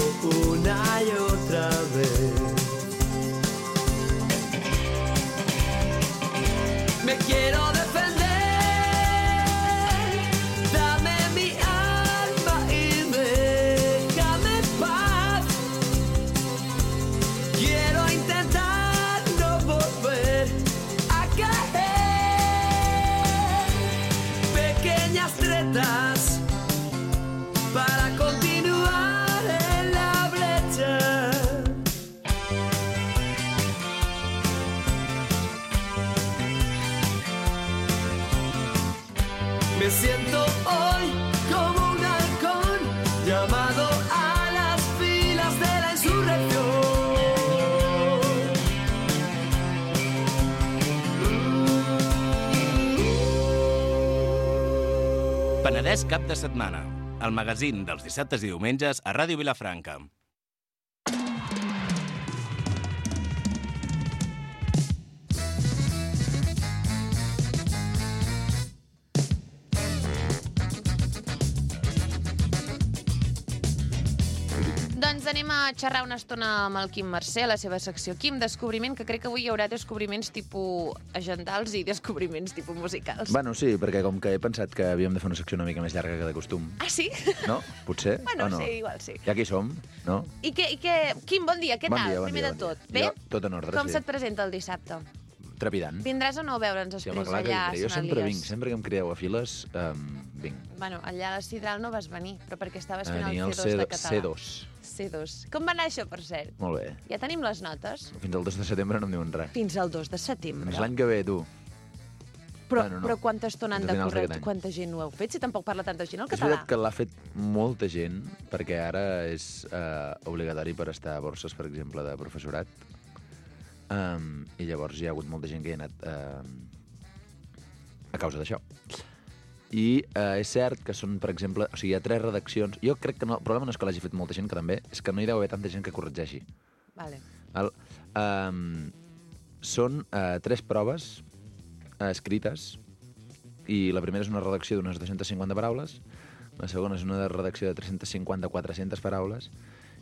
una y otra vez. Me quiero defender. Dame mi alma y déjame en paz. Quiero intentar no volver a caer. Pequeñas tretas para continuar en la brecha. Me siento hoy como un halcón llamado a las filas de la insurrección. Penedès cap de setmana. El magazín dels dissabtes i diumenges a Ràdio Vilafranca. Doncs anem a xerrar una estona amb el Quim Mercè, la seva secció. Quim, descobriment, que crec que avui hi haurà descobriments tipus agendals i descobriments tipus musicals. Bueno, sí, perquè com que he pensat que havíem de fer una secció una mica més llarga que de costum. Ah, sí? No? Potser? Bueno, o no? sí, igual sí. Ja aquí som, no? I Quim, bon dia, què Bon tal? dia, bon Primer dia, de bon tot. dia. Bé? Jo, tot en ordre, Com sí. se't presenta el dissabte? Trepidant. Vindràs o no a veure'ns Sí, després home, clar que allà a vindré. Jo Sant sempre Elies? vinc, sempre que em crideu a files, vinc. Bueno, allà a la Sidral no vas venir, però perquè estaves fent Venia el el C2 de català. C2. C2. Com va anar això, per cert? Molt bé. Ja tenim les notes? Fins al 2 de setembre no em diuen res. Fins al 2 de setembre. Doncs l'any que ve, tu. Però, Bueno, no. però quanta estona han Fins a de finals córrer? d'aquest any. Quanta gent ho heu fet? Si tampoc parla tanta gent el És català. veritat que l'ha fet molta gent, perquè ara és obligatori per estar a borses, per exemple, de professorat. I llavors hi ha hagut molta gent que hi ha anat a causa d'això. I és cert que són, per exemple, o sigui, hi ha 3 redaccions. Jo crec que no, el problema no és que l'hagi fet molta gent, que també, és que no hi deu haver tanta gent que corregeixi. Vale. Són 3 proves escrites, i la primera és una redacció d'unes 250 paraules, la segona és una redacció de 350-400 paraules,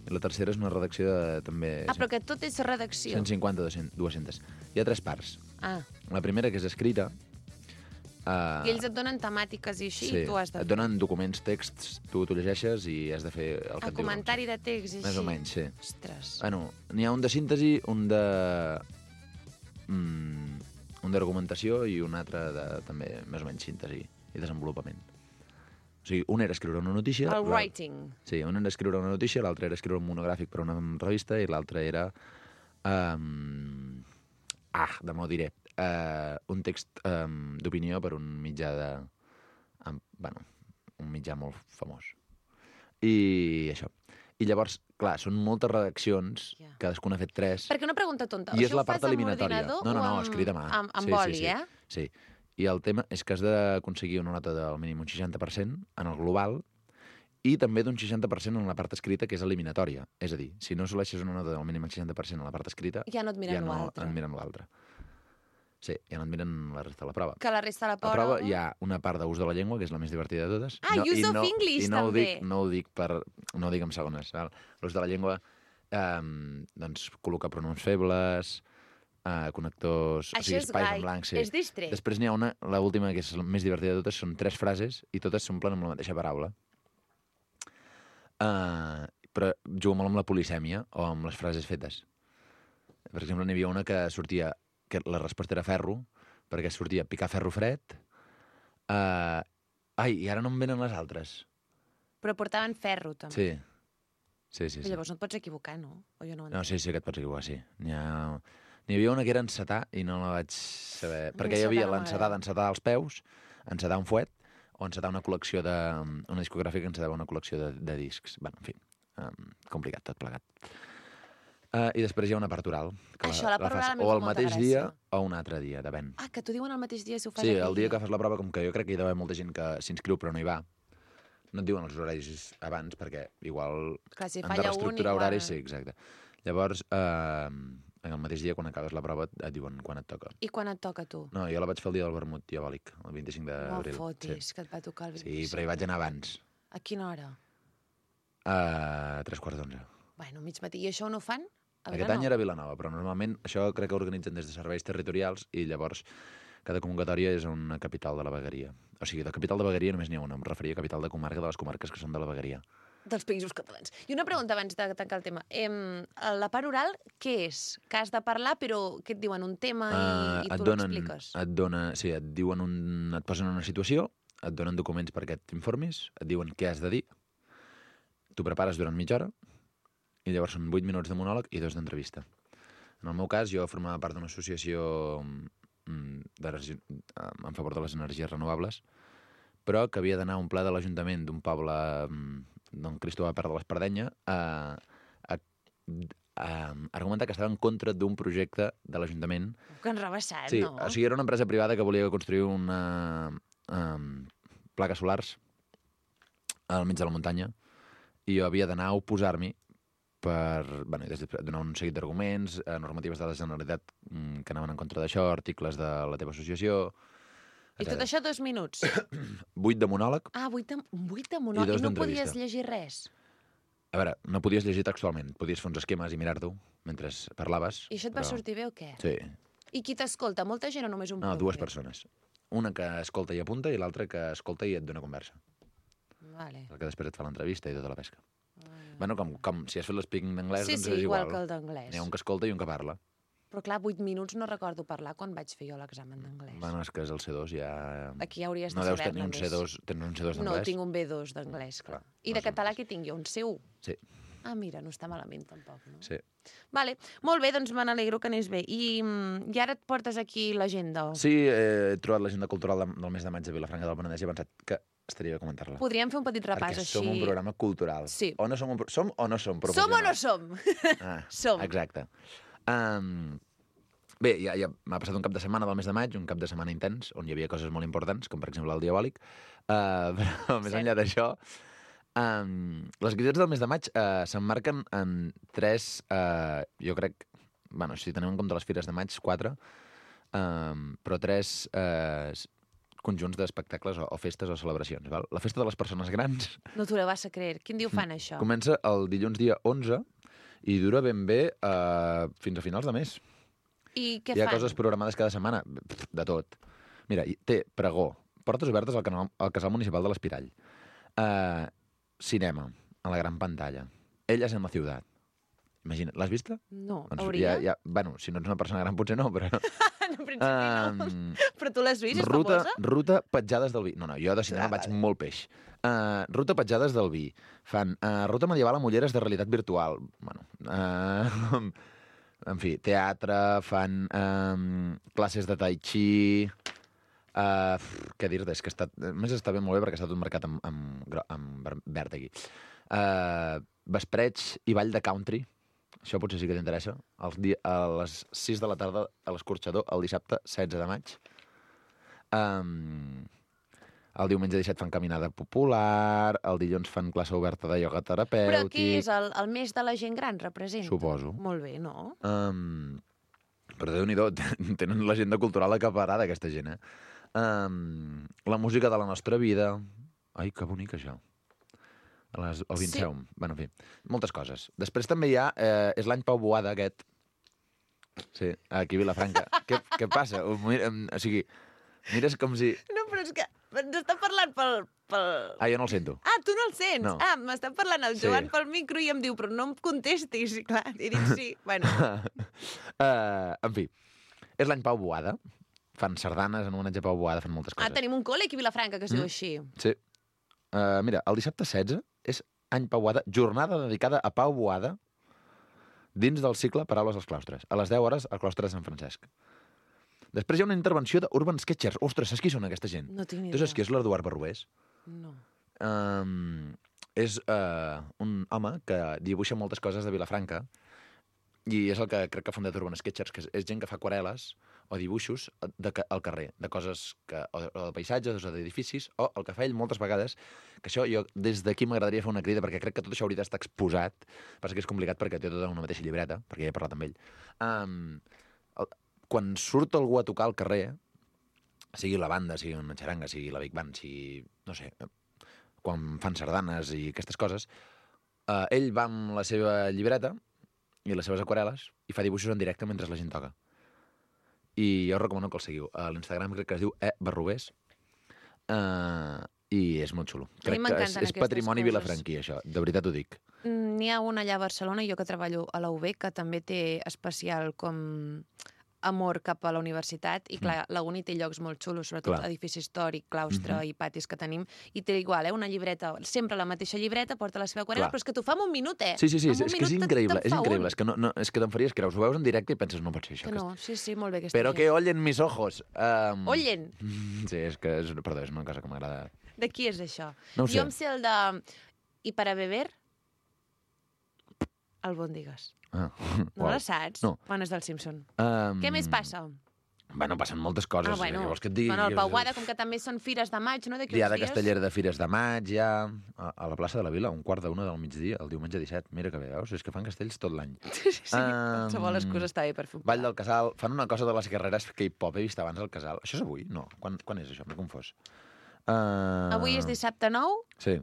i la tercera és una redacció de també... Ah, però que tot és redacció. 150-200. Hi ha 3 parts. Ah, La primera, que és escrita... i ells et donen temàtiques i així, sí, i tu has de et donen documents, texts, tu llegeixes i has de fer el que et diuen. comentari de text i així. Més o menys, sí. Ostres. Bueno, n'hi ha un de síntesi, un d'argumentació i un altre de també més o menys síntesi i desenvolupament. O sigui, un era escriure una notícia... El writing. Sí, un era escriure una notícia, l'altre era escriure un monogràfic per a una revista i l'altre era... demà ho diré. Un text d'opinió per un mitjà de... Bueno, un mitjà molt famós. I això. I llavors, clar, són moltes redaccions, cadascuna ha fet 3. Perquè una pregunta tonta. I és la ho part fas amb eliminatòria. ordinador No, o escrit a mà. Amb boli, eh? Sí. I el tema és que has d'aconseguir una nota del mínim un 60% en el global i també d'un 60% en la part escrita, que és eliminatòria. És a dir, si no assoleixes una nota del mínim 60% en la part escrita... Ja no et miren l'altre. Ja no et miren l'altre. Sí, ja no et miren la resta de la prova. Que la resta de la A prova hi ha una part d'ús de la llengua, que és la més divertida de totes. Use of English, també. No ho dic en segones. L'ús de la llengua, doncs, col·locar pronoms febles, connectors... Això és espais guai. en blanc, sí. És distret. Després n'hi ha una, l'última, que és la més divertida de totes, són 3 frases i totes s'omplen amb la mateixa paraula. Però jugo molt amb la polisèmia o amb les frases fetes. Per exemple, n'hi havia una que sortia... que la resposta era ferro, perquè sortia picar ferro fred. I ara no em venen les altres. Però portaven ferro, també. Sí. Però llavors no et pots equivocar, no? O jo no ho No, entenc. sí que et pots equivocar, sí. N'hi havia una que era encetar i no la vaig saber. Perquè hi havia l'encetar d'encetar als peus, encetar un fuet, o encetar una col·lecció de... una discogràfica que encetava una col·lecció de discs. Bueno, en fi, complicat tot plegat. I després hi ha una part oral. Això, la part oral a mi o fa el molta mateix gràcia. dia o un altre dia, depèn. Que t'ho diuen el mateix dia si ho fas Sí, aquell el dia que fas la prova, com que jo crec que hi ha d'haver molta gent que s'inscriu però no hi va, no et diuen els horaris abans, perquè igual Clar, si han de falla un, reestructurar igual... horaris, sí, exacte. Llavors, en el mateix dia, quan acabes la prova, et diuen quan et toca. I quan et toca a tu? No, jo la vaig fer el dia del vermut diabòlic, el 25 No d'abril. fotis, que et va tocar el 25. Sí, però hi vaig anar abans. A quina hora? A 3:15. Bueno, mig matí. I això on ho fan? A Aquest any era a Vilanova, però normalment això crec que organitzen des de serveis territorials i llavors cada convocatòria és una capital de la vegueria. O sigui, de capital de vegueria només n'hi ha una, em referia a capital de comarca de les comarques que són de la vegueria. Dels països catalans. I una pregunta abans de tancar el tema. La part oral, què és? Que has de parlar, però què et diuen? Un tema i tu l'expliques? Et diuen et posen en una situació, et donen documents perquè t'informis, et diuen què has de dir, tu prepares durant mitja hora, i llavors són 8 minuts de monòleg i 2 d'entrevista. En el meu cas, jo formava part d'una associació en favor de les energies renovables, però que havia d'anar a un ple de l'Ajuntament d'un poble d'on Cristo va perdre l'Espardenya a argumentar que estava en contra d'un projecte de l'Ajuntament. Que enrebaçat, Sí, no? o sigui, era una empresa privada que volia construir plaques solars al mig de la muntanya i jo havia d'anar a oposar-m'hi per donar un seguit d'arguments, normatives de la Generalitat que anaven en contra d'això, articles de la teva associació... I tot això 2 minuts? 8 de monòleg. 8 de I monòleg. 2 I no d'entrevista. podies llegir res? A veure, no podies llegir textualment, podies fer uns esquemes i mirar-t'ho mentre parlaves. I això et va sortir bé o què? Sí. I qui t'escolta? Molta gent o només un No, poc? 2 persones. Una que escolta i apunta i l'altra que escolta i et dona conversa. Vale. El que després et fa l'entrevista i tota la pesca. Bueno, com si has fet l'espeaking d'anglès, Sí, doncs sí, és igual. igual que el d'anglès. N'hi ha un que escolta i un que parla. Però clar, 8 minuts no recordo parlar quan vaig fer jo l'examen d'anglès. Bueno, és que és el C2, ja... Aquí hauries no de deus tenir saber-ne un més. C2, tens un C2 No, d'anglès? tinc un B2 d'anglès, clar. Clar, I de català què tinc jo? Un C1? Sí, Mira, no està malament tampoc, no? sí. Vale, molt bé, doncs me n'alegro que anés bé. I ara et portes aquí l'agenda? Sí, he trobat l'agenda cultural del mes de maig a Vilafranca del Penedès i he pensat que estaria bé comentar-la. Podríem fer un petit repàs Perquè així. som un programa cultural. Sí. O no som som o no som Som professionals? o no som? Som. Exacte. Bé, ja m'ha passat un cap de setmana del mes de maig, un cap de setmana intens, on hi havia coses molt importants, com per exemple el diabòlic, però més enllà d'això, les activitats del mes de maig s'emmarquen en 3, jo crec, bueno, si tenem en compte les fires de maig, 4, però 3 conjunts d'espectacles o festes o celebracions. Val? La festa de les persones grans No t'ho vas a creer. Quin dia ho fan, això? comença el dilluns dia 11 i dura ben bé fins a finals de mes. I què Hi ha fan? coses programades cada setmana, de tot. Mira, té pregó, portes obertes al casal municipal de l'Espirall, cinema, a la gran pantalla, Ellas en la ciutat. Imagina't, l'has vista? No, Doncs hauria? bueno, si no ets una persona gran potser no, però En principi no. Però tu l'has vist, és famosa? Ruta Petjades del Vi. No, jo de cinema vaig molt peix. Ruta Petjades del Vi. Fan ruta medieval amb ulleres de realitat virtual. Bueno, en fi, teatre, fan classes de tai chi... què dir-te? És que més està ben molt bé perquè està tot marcat amb verd aquí. Vespreig i ball de country. Això potser sí que t'interessa. A les 6 de la tarda a l'Escorxador, el dissabte 16 de maig. El diumenge 17 fan caminada popular, el dilluns fan classe oberta de ioga terapèutic... Però aquí és el mes de la gent gran, representa? Suposo. Molt bé, no? Però Déu-n'hi-do, tenen l'agenda cultural acaparada, aquesta gent, la música de la nostra vida... Ai, que bonic, això. El Vinceum. Sí. Bueno, en fi, moltes coses. Després també hi ha... és l'any Pau Boada, aquest. Sí, aquí a Vilafranca. Què passa? O sigui, mires com si... No, però és que ens està parlant pel... Jo no el sento. Tu no el sents? No. M'està parlant el Joan pel micro i em diu, però no em contestis. I clar, he dit sí. Bueno. En fi, és l'any Pau Boada. Fan sardanes en homenatge a Pau Boada, fan moltes coses. Tenim un col·le aquí a Vilafranca que es diu així. Sí. Mira, el dissabte 16 és any Pau Boada, jornada dedicada a Pau Boada dins del cicle Paraules als claustres. A les 10 hores al claustre de Sant Francesc. Després hi ha una intervenció d'Urban Sketchers. Ostres, saps qui són aquesta gent? No tinc ni idea. Tu saps qui és l'Eduard Barrubés? No. És un home que dibuixa moltes coses de Vilafranca i és el que crec que ha fundat Urban Sketchers, que és gent que fa aquarel·les o dibuixos al carrer, de coses o de paisatges o d'edificis, o el que fa ell moltes vegades, que això jo des d'aquí m'agradaria fer una crida, perquè crec que tot això hauria d'estar exposat, passa que és complicat perquè té tota una mateixa llibreta, perquè ja he parlat amb ell. Quan surt algú a tocar al carrer, sigui la banda, sigui una xaranga, sigui la Big Band, sigui, no sé, quan fan sardanes i aquestes coses, ell va amb la seva llibreta i les seves aquarel·les i fa dibuixos en directe mentre la gent toca. I jo recomano que el seguiu. A l'Instagram crec que es diu Barrubés i és molt xulo. Crec que és patrimoni vilafranquí, això. De veritat ho dic. N'hi ha una allà a Barcelona, jo que treballo a la UB, que també té especial com amor cap a la universitat, i clar, la Uni té llocs molt xulos, sobretot edifici històric, claustre i patis que tenim, i té igual, una llibreta, sempre la mateixa llibreta, porta la seva aquarel·la, però és que t'ho fa en un minut, Sí, és que és increïble, és que te'n faries creus, ho veus en directe i penses, no pot ser això. Que no, sí, molt bé aquesta Però que ollen mis ojos. Ollen? Sí, és que, perdó, és una cosa que m'agrada. De qui és això? No ho sé. Jo em sé el de... I para beber... Albòndigues. No la saps? No. Bueno, és del Simpson. Què més passa? Bueno, passen moltes coses. Llavors que et digui... Bueno, el Pau Boada, com que també són fires de maig, no? Diada Castellera de Fires de Maig, ja a la plaça de la Vila, 1:45 del migdia, el diumenge 17. Mira que bé, veus? És que fan castells tot l'any. Sí, qualsevol excusa està bé per fer un Vall del Casal. Fan una cosa de les guerreres K-pop. He vist abans al Casal. Això és avui? No. Quan és això? M'he confós. Avui és dissabte 9? Sí.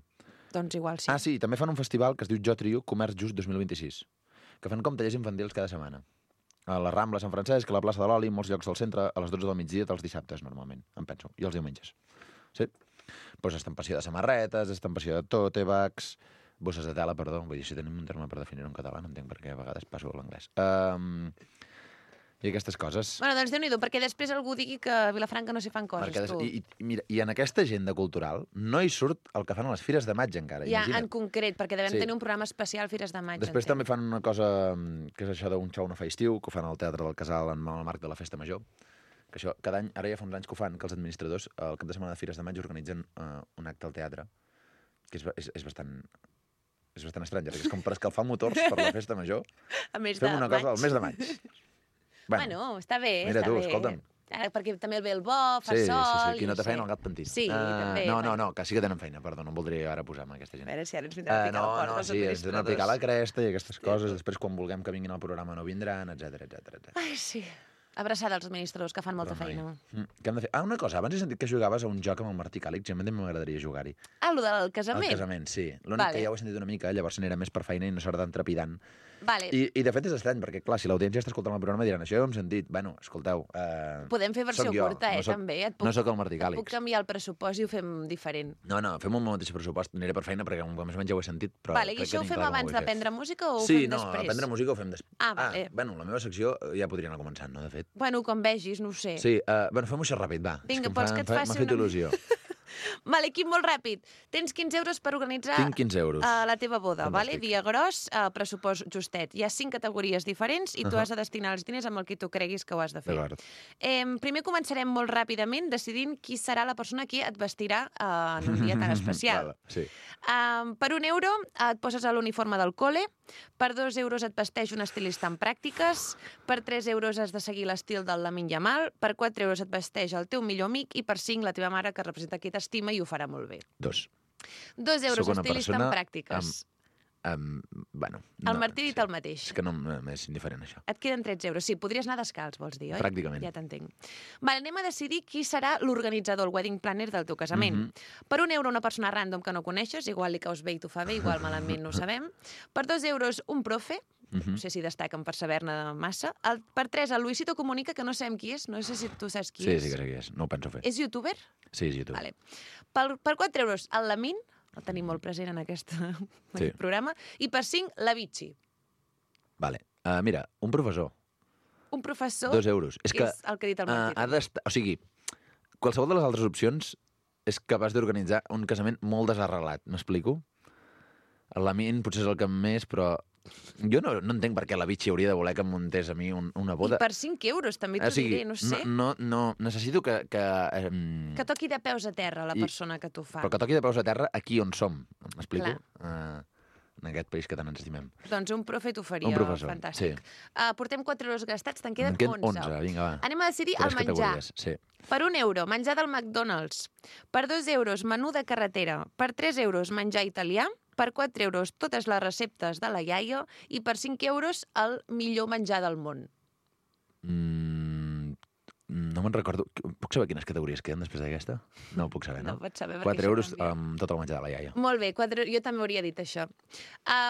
Doncs igual sí. Sí, també fan un festival que es diu Jo Trio Comerç Just 2026, que fan com tallers infantils cada setmana. A la Rambla, Sant Francesc, a la plaça de l'Oli, molts llocs del centre, a les 12 del migdia, dels dissabtes, normalment, em penso, i els diumenges. Sí. Pues estampació de samarretes, estampació de tòtebags, bosses de tela, perdó, vull dir, si tenim un terme per definir-ho en català, no entenc per què a vegades passo a l'anglès. I aquestes coses. Bueno, doncs Déu-n'hi-do, perquè després algú digui que a Vilafranca no s'hi fan coses, tu. Mira, i en aquesta agenda cultural no hi surt el que fan a les Fires de Maig encara, imagina't. En concret, perquè devem tenir un programa especial Fires de Maig. Després també fan una cosa que és això d'un xou no fa estiu, que ho fan al Teatre del Casal en el marc de la Festa Major, que això cada any, ara ja fa uns anys que ho fan, que els administradors al cap de setmana de Fires de Maig organitzen un acte al teatre, que és bastant estrany, perquè és com per escalfar motors per la Festa Major. Fem una cosa al mes de maig. Bueno, està bé, mira tu, escolta'm. Perquè també el ve el bo, fa sol... Sí, qui no té feina, el gat pentina. Sí, també. No, que sí que tenen feina, perdó, no em voldria ara posar amb aquesta gent. A veure si ara ens vindran a picar la porta els administradors. Sí, ens vindran a picar la cresta i aquestes coses, després quan vulguem que vinguin al programa no vindran, etc. Ai, sí. Abraçada als administradors, que fan molta feina. Què hem de fer? Una cosa, abans he sentit que jugaves a un joc amb el Martí Càlix, i a mi m'agradaria jugar-hi. Lo del casament? El casament, sí. L'únic que ja ho he sentit una mica, llavors n'era més per feina i no serà tan trepidant. Vale. I de fet és estrany, perquè clar, si l'audiència està escoltant el programa diran això ja ho hem sentit. Bueno, escolteu... Podem fer versió curta, també. No soc el Martí Et Càlix. puc canviar el pressupost i ho fem diferent. No, fem un mateix pressupost. Aniré per feina perquè més o menys ja ho he sentit. Però Vale, i això ho fem abans d'aprendre música o ho sí, fem no, després? aprendre música ho fem després. Vale. Bueno, la meva secció ja podria anar començant, no, de fet? Bueno, com vegis, no ho sé. Sí, fem-ho això ràpid, va. Vinga, vols que et faci m'ha fet il·lusió. Vale, Quim, molt ràpid. Tens 15 euros per organitzar Tinc 15 euros. La teva boda, Fantàstic. vale? Dia gros, pressupost justet. Hi ha 5 categories diferents i tu has de destinar els diners amb el que tu creguis que ho has de fer. D'acord. Primer començarem molt ràpidament decidint qui serà la persona que et vestirà en un dia tan especial. Vale, sí. Per €1 et poses a l'uniforme del col·le, per €2 et vesteix un estilista en pràctiques, per €3 has de seguir l'estil del Lamine Yamal, per €4 et vesteix el teu millor amic i per 5 la teva mare que representa qui t'estima i ho farà molt bé. 2. €2 Soc una estilista persona en pràctiques. Bueno, El Martí ha dit el mateix. És que no m'és indiferent, això. Et queden 13 euros. Sí, podries anar descalç, vols dir, oi? Pràcticament. Ja t'entenc. Vale, anem a decidir qui serà l'organitzador, el wedding planner del teu casament. Per €1 una persona random que no coneixes, igual li caus bé i t'ho fa bé, igual malament no ho sabem. Per €2 un profe, no sé si destaquen per saber-ne massa. Per 3 el Luisito Comunica, que no sabem qui és, no sé si tu saps qui és. Sí que sé qui és, no ho penso fer. És youtuber? Sí, és youtuber. Vale. Per €4 el Lamine, el tenim molt present en aquest programa, i per 5 la Vichy. Vale. Mira, un professor, Un professor €2. És que és el que ha dit el Martí. ha d'estar... O sigui, qualsevol de les altres opcions és capaç d'organitzar un casament molt desarrelat, m'explico? El Lamine potser és el que més, però jo no entenc per què la Vichy hauria de voler que em muntés a mi una boda. I per 5 euros, també t'ho diré, no sé. No, necessito que... Que toqui de peus a terra la persona que t'ho fa. Però que toqui de peus a terra aquí on som, m'explico? En aquest país que tant ens estimem. Doncs un profe t'ho faria Un professor, fantàstic. Portem 4 euros gastats, te'n queden En queden 11. 11, vinga, va. Anem a decidir el 3 menjar. categories, sí. Per €1, menjar del McDonald's. Per €2, menú de carretera. Per €3, menjar italià. Per €4, totes les receptes de la iaia. I per €5, el millor menjar del món. No me'n recordo. Puc saber quines categories queden després d'aquesta? No ho puc saber, no? No pots saber, perquè 4 això euros canvia. amb tot el menjar de la iaia. Molt bé, jo també hauria dit això.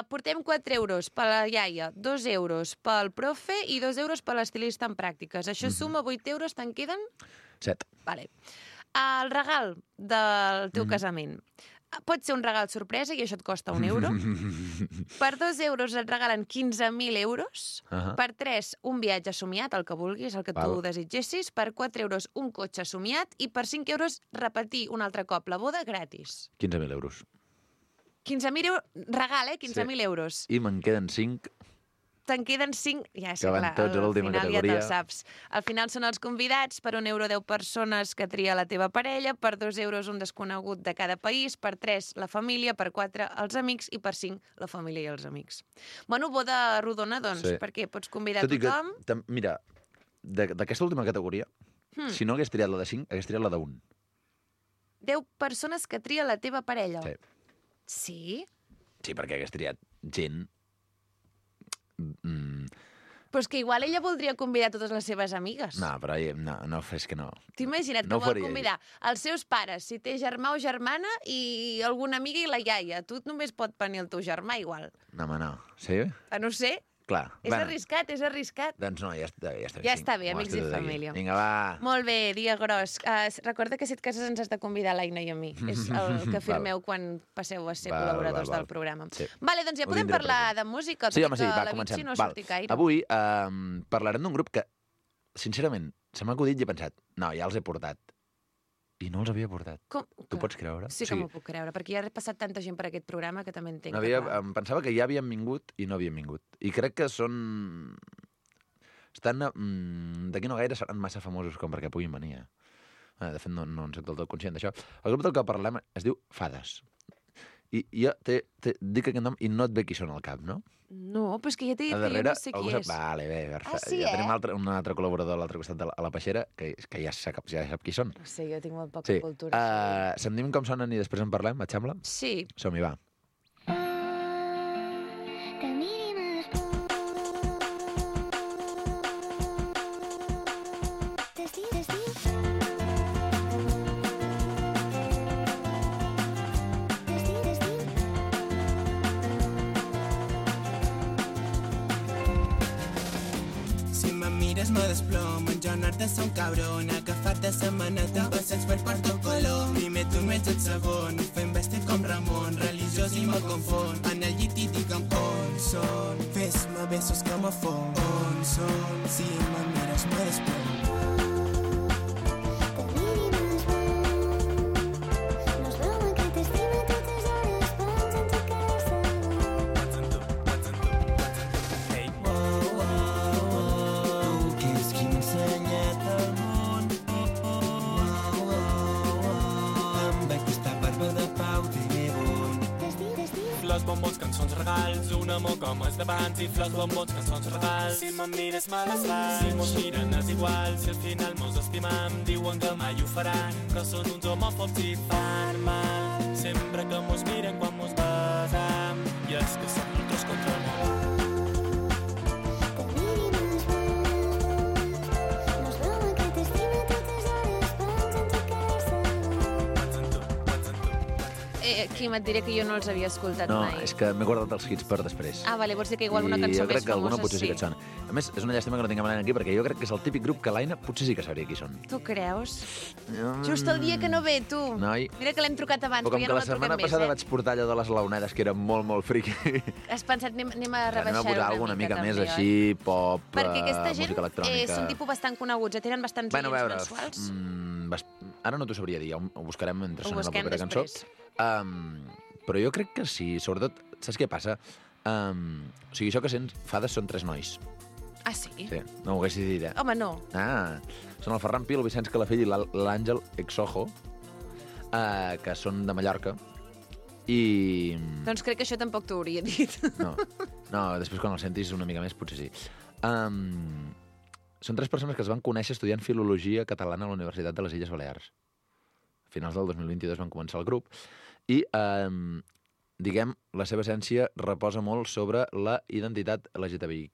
Portem 4 euros per la iaia, 2 euros pel profe i 2 euros per l'estilista en pràctiques. Això suma 8 euros, te'n queden? 7. Vale. El regal del teu casament. Pot ser un regal sorpresa i això et costa €1. Per 2 euros et regalen 15.000 euros. Per 3, un viatge somiat, el que vulguis, el que tu desitgessis. Per 4 euros, un cotxe somiat. I per 5 euros, repetir un altre cop la boda gratis. 15.000 euros. 15.000 euros, regal, 15.000 euros. I me'n queden 5. Te'n queden 5, ja sé, Que van clar, tots a al l'última final categoria. ja te'l saps. Al final són els convidats, per €1 10 persones que tria la teva parella, per 2 euros un desconegut de cada país, per 3 la família, per 4 els amics i per 5 la família i els amics. Bueno, boda rodona, doncs, perquè pots convidar Tot i que, tothom. mira, d'aquesta última categoria, si no hagués triat la de 5, hagués triat la de 1. 10 persones que tria la teva parella. Sí. Sí? Sí, perquè hagués triat gent... Però és que igual ella voldria convidar totes les seves amigues. No, però no, és que no. T'imagina't que No ho vol faria convidar els seus pares, si té germà o germana, i alguna amiga i la iaia. Tu només pot venir el teu germà, igual. No, home, no. Sí? No sé. Clar. És arriscat, és arriscat. Doncs no, ja està bé. Ja està bé, amics i família. Vinga, va. Molt bé, dia gros. Recorda que si et cases ens has de convidar l'Aina i a mi. És el que firmeu quan passeu a ser col·laboradors del programa. Sí. Vale, doncs ja Ho podem tindré parlar de música. Sí, home, sí, va, la comencem. Vichy no surti gaire. Avui parlarem d'un grup que, sincerament, se m'ha acudit i he pensat, no, ja els he portat. I no els havia portat. Tu pots creure? Sí que m'ho puc creure, perquè ja ha passat tanta gent per aquest programa que també entenc. Em pensava que ja havien vingut i no havien vingut. I crec que són... D'aquí no gaire seran massa famosos com perquè puguin venir. De fet, no en soc del tot conscient d'això. El grup del que parlem es diu Fades. I jo dic aquest nom i no et ve qui són al cap, no? No, però és que ja t'he dit que jo no sé qui és. Vale, bé, perfecte. Sí, ja tenim un altre col·laborador a l'altre costat a la peixera que ja sap qui són. No sé, jo tinc molt poca cultura. Sentim com sonen i després en parlem, et sembla? Sí. Som-hi, va. me desplom, en Joan Art de ser un cabron, agafat de sa maneta, un passeig per Porto Colom. Primer tu no ets el segon, fem vestit com Ramon, religiós i me confon, en el llit i digue'm on són, fes-me besos que me fon, on són, si me mires me desplom. Bombons, cançons, regals, un amor com els d'abans i flors, bombons, cançons, regals. Si me'n mires me les fas, si mos miren és igual, si al final mos estimam, diuen que mai ho faran, que són uns homòfobs i fan mal. Sempre que mos miren quan mos besam, i és que som nosaltres contra el món. Quim, et diré que jo no els havia escoltat mai. No, és que m'he guardat els hits per després. Ah, vale, vols dir que igual una cançó més famosa jo crec que alguna potser sí que et sona. A més, és una llàstima que no tinguem l'Aina aquí, perquè jo crec que és el típic grup que l'Aina potser sí que sabria qui són. Tu creus? Just el dia que no ve, tu. Noi. Mira que l'hem trucat abans, però però ja no la truquem més, com que la setmana passada vaig portar allò de les laonedes, que era molt, molt friqui. Has pensat, anem a rebaixar posar alguna mica més així, pop, perquè aquesta gent música electrònica. Són tipus bastant coneguts, tenen bastants oients mensuals. Ara no t'ho sabria dir, ho buscarem mentre sona la propera cançó. Però jo crec que sí, sobretot, saps què passa? O sigui, això que sents, Fades són 3 nois. Ah, sí? Sí, no ho haguessis dit, eh? Home, no. Ah, són el Ferran Pi, el Vicenç Calafell i l'Àngel Exojo, que són de Mallorca, i... Doncs crec que això tampoc t'ho hauria dit. No, després quan el sentis una mica més, potser sí. Són 3 persones que es van conèixer estudiant Filologia Catalana a la Universitat de les Illes Balears. A finals del 2022 van començar el grup, i, diguem, la seva essència reposa molt sobre la identitat LGTBIQ+.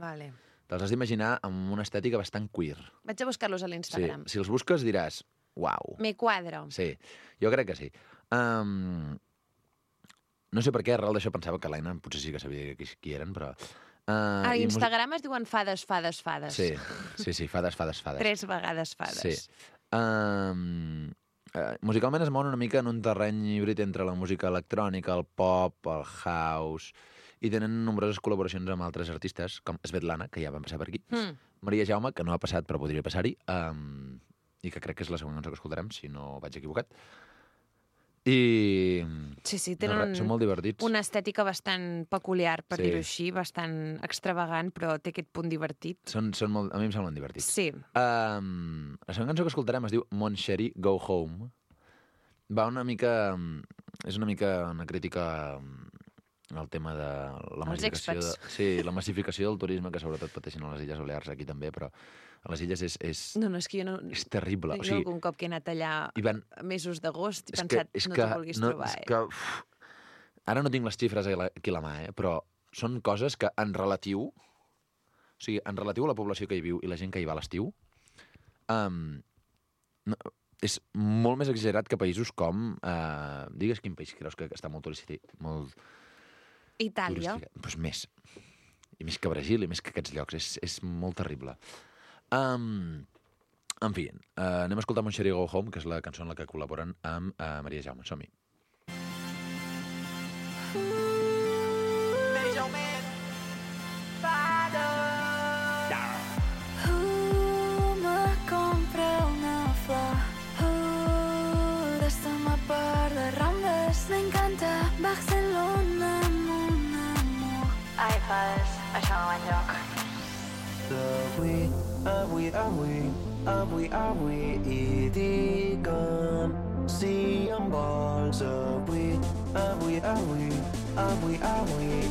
Vale. Te'ls has d'imaginar amb una estètica bastant queer. Vaig a buscar-los a l'Instagram. Sí, si els busques diràs, uau. Me quadro. Sí, jo crec que sí. No sé per què, arrel d'això pensava que l'Aina potser sí que sabia qui eren, però... A Instagram es diuen fades. Sí, fades. 3 vegades fades. Sí. Musicalment es mouen una mica en un terreny híbrid entre la música electrònica, el pop, el house, i tenen nombroses col·laboracions amb altres artistes, com Svetlana, que ja van passar per aquí, Maria Jaume, que no ha passat però podria passar-hi, i que crec que és la segona cançó que escoltarem, si no vaig equivocat. I... Sí, tenen són molt divertits. Una estètica bastant peculiar, per dir-ho així, bastant extravagant, però té aquest punt divertit. Són molt... A mi em semblen divertits. Sí. La segona cançó que escoltarem es diu Mon Chéri, Go Home. Va una mica... És una mica una crítica al tema de la massificació... la massificació del turisme, que sobretot pateixen a les Illes Balears, aquí també, però a les Illes és... No, és que jo no... És terrible. Jo algun cop que he anat allà mesos d'agost i pensat, no t'ho vulguis trobar, Ara no tinc les xifres aquí a la mà, però són coses que en relatiu... O sigui, en relatiu a la població que hi viu i la gent que hi va a l'estiu, és molt més exagerat que països com... Digues quin país creus que està molt turístic, molt... Itàlia. Doncs més. I més que Brasil, i més que aquests llocs. És molt terrible. En fi, anem a escoltar Mon Chéri Go Home, que és la cançó en la que col·laboren amb Maria Jaume. Som-hi. Maria Jaume, para. Me compré una flor de part de Rambles. Me encanta Barcelona, mon amor. Ai, fas, això no va enlloc. Avui i digue'm si em vols avui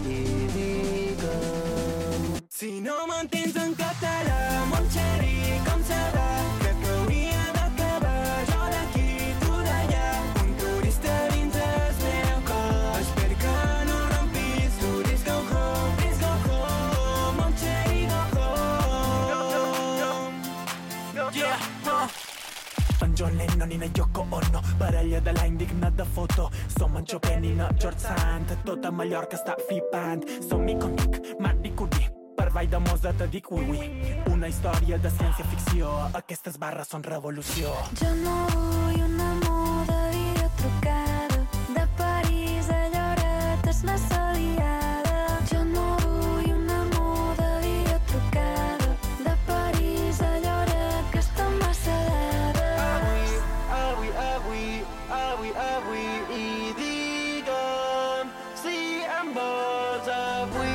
i digue'm. Si no m'entens en català, mon xeri, com serà? Crec que hauria d'acabar jo d'aquí, tu d'allà. Un turista dins el meu cor. Espero que no rompis, turis go home, mon xeri go home. Yeah, En John Lennon i na Yoko Ono, parella de l'any dignat de foto. Som en Chopin i na George Sand, tota Mallorca està flipant. Som icònic, Marie Curie, per cervell de Mozart te dic ui. Una història de ciència-ficció, aquestes barres són revolució. Jo no vull un amor de videotrucada, de París a Lloret és massa liada. Jo no vull un amor de videotrucada, de París a Lloret que està massa dades. Avui, i digue'm si em vols avui,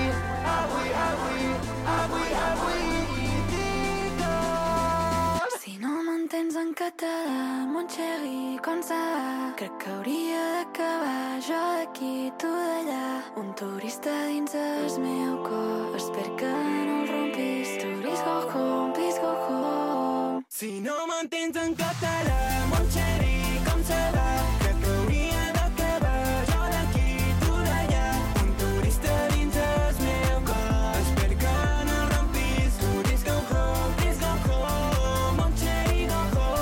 i digue'm. Si no m'entens en català, mon xerri, com ça va? Crec que hauria d'acabar jo d'aquí, tu d'allà. Un turista dins el meu cor, espero que no el rompis. Please go home, please go home. Si no m'entens en català, mon xeri, com se va? Crec que hauria d'acabar jo d'aquí, tu d'allà. Un turista dins el meu cor, espero que no el rompis. Please go home, mon xeri, go home.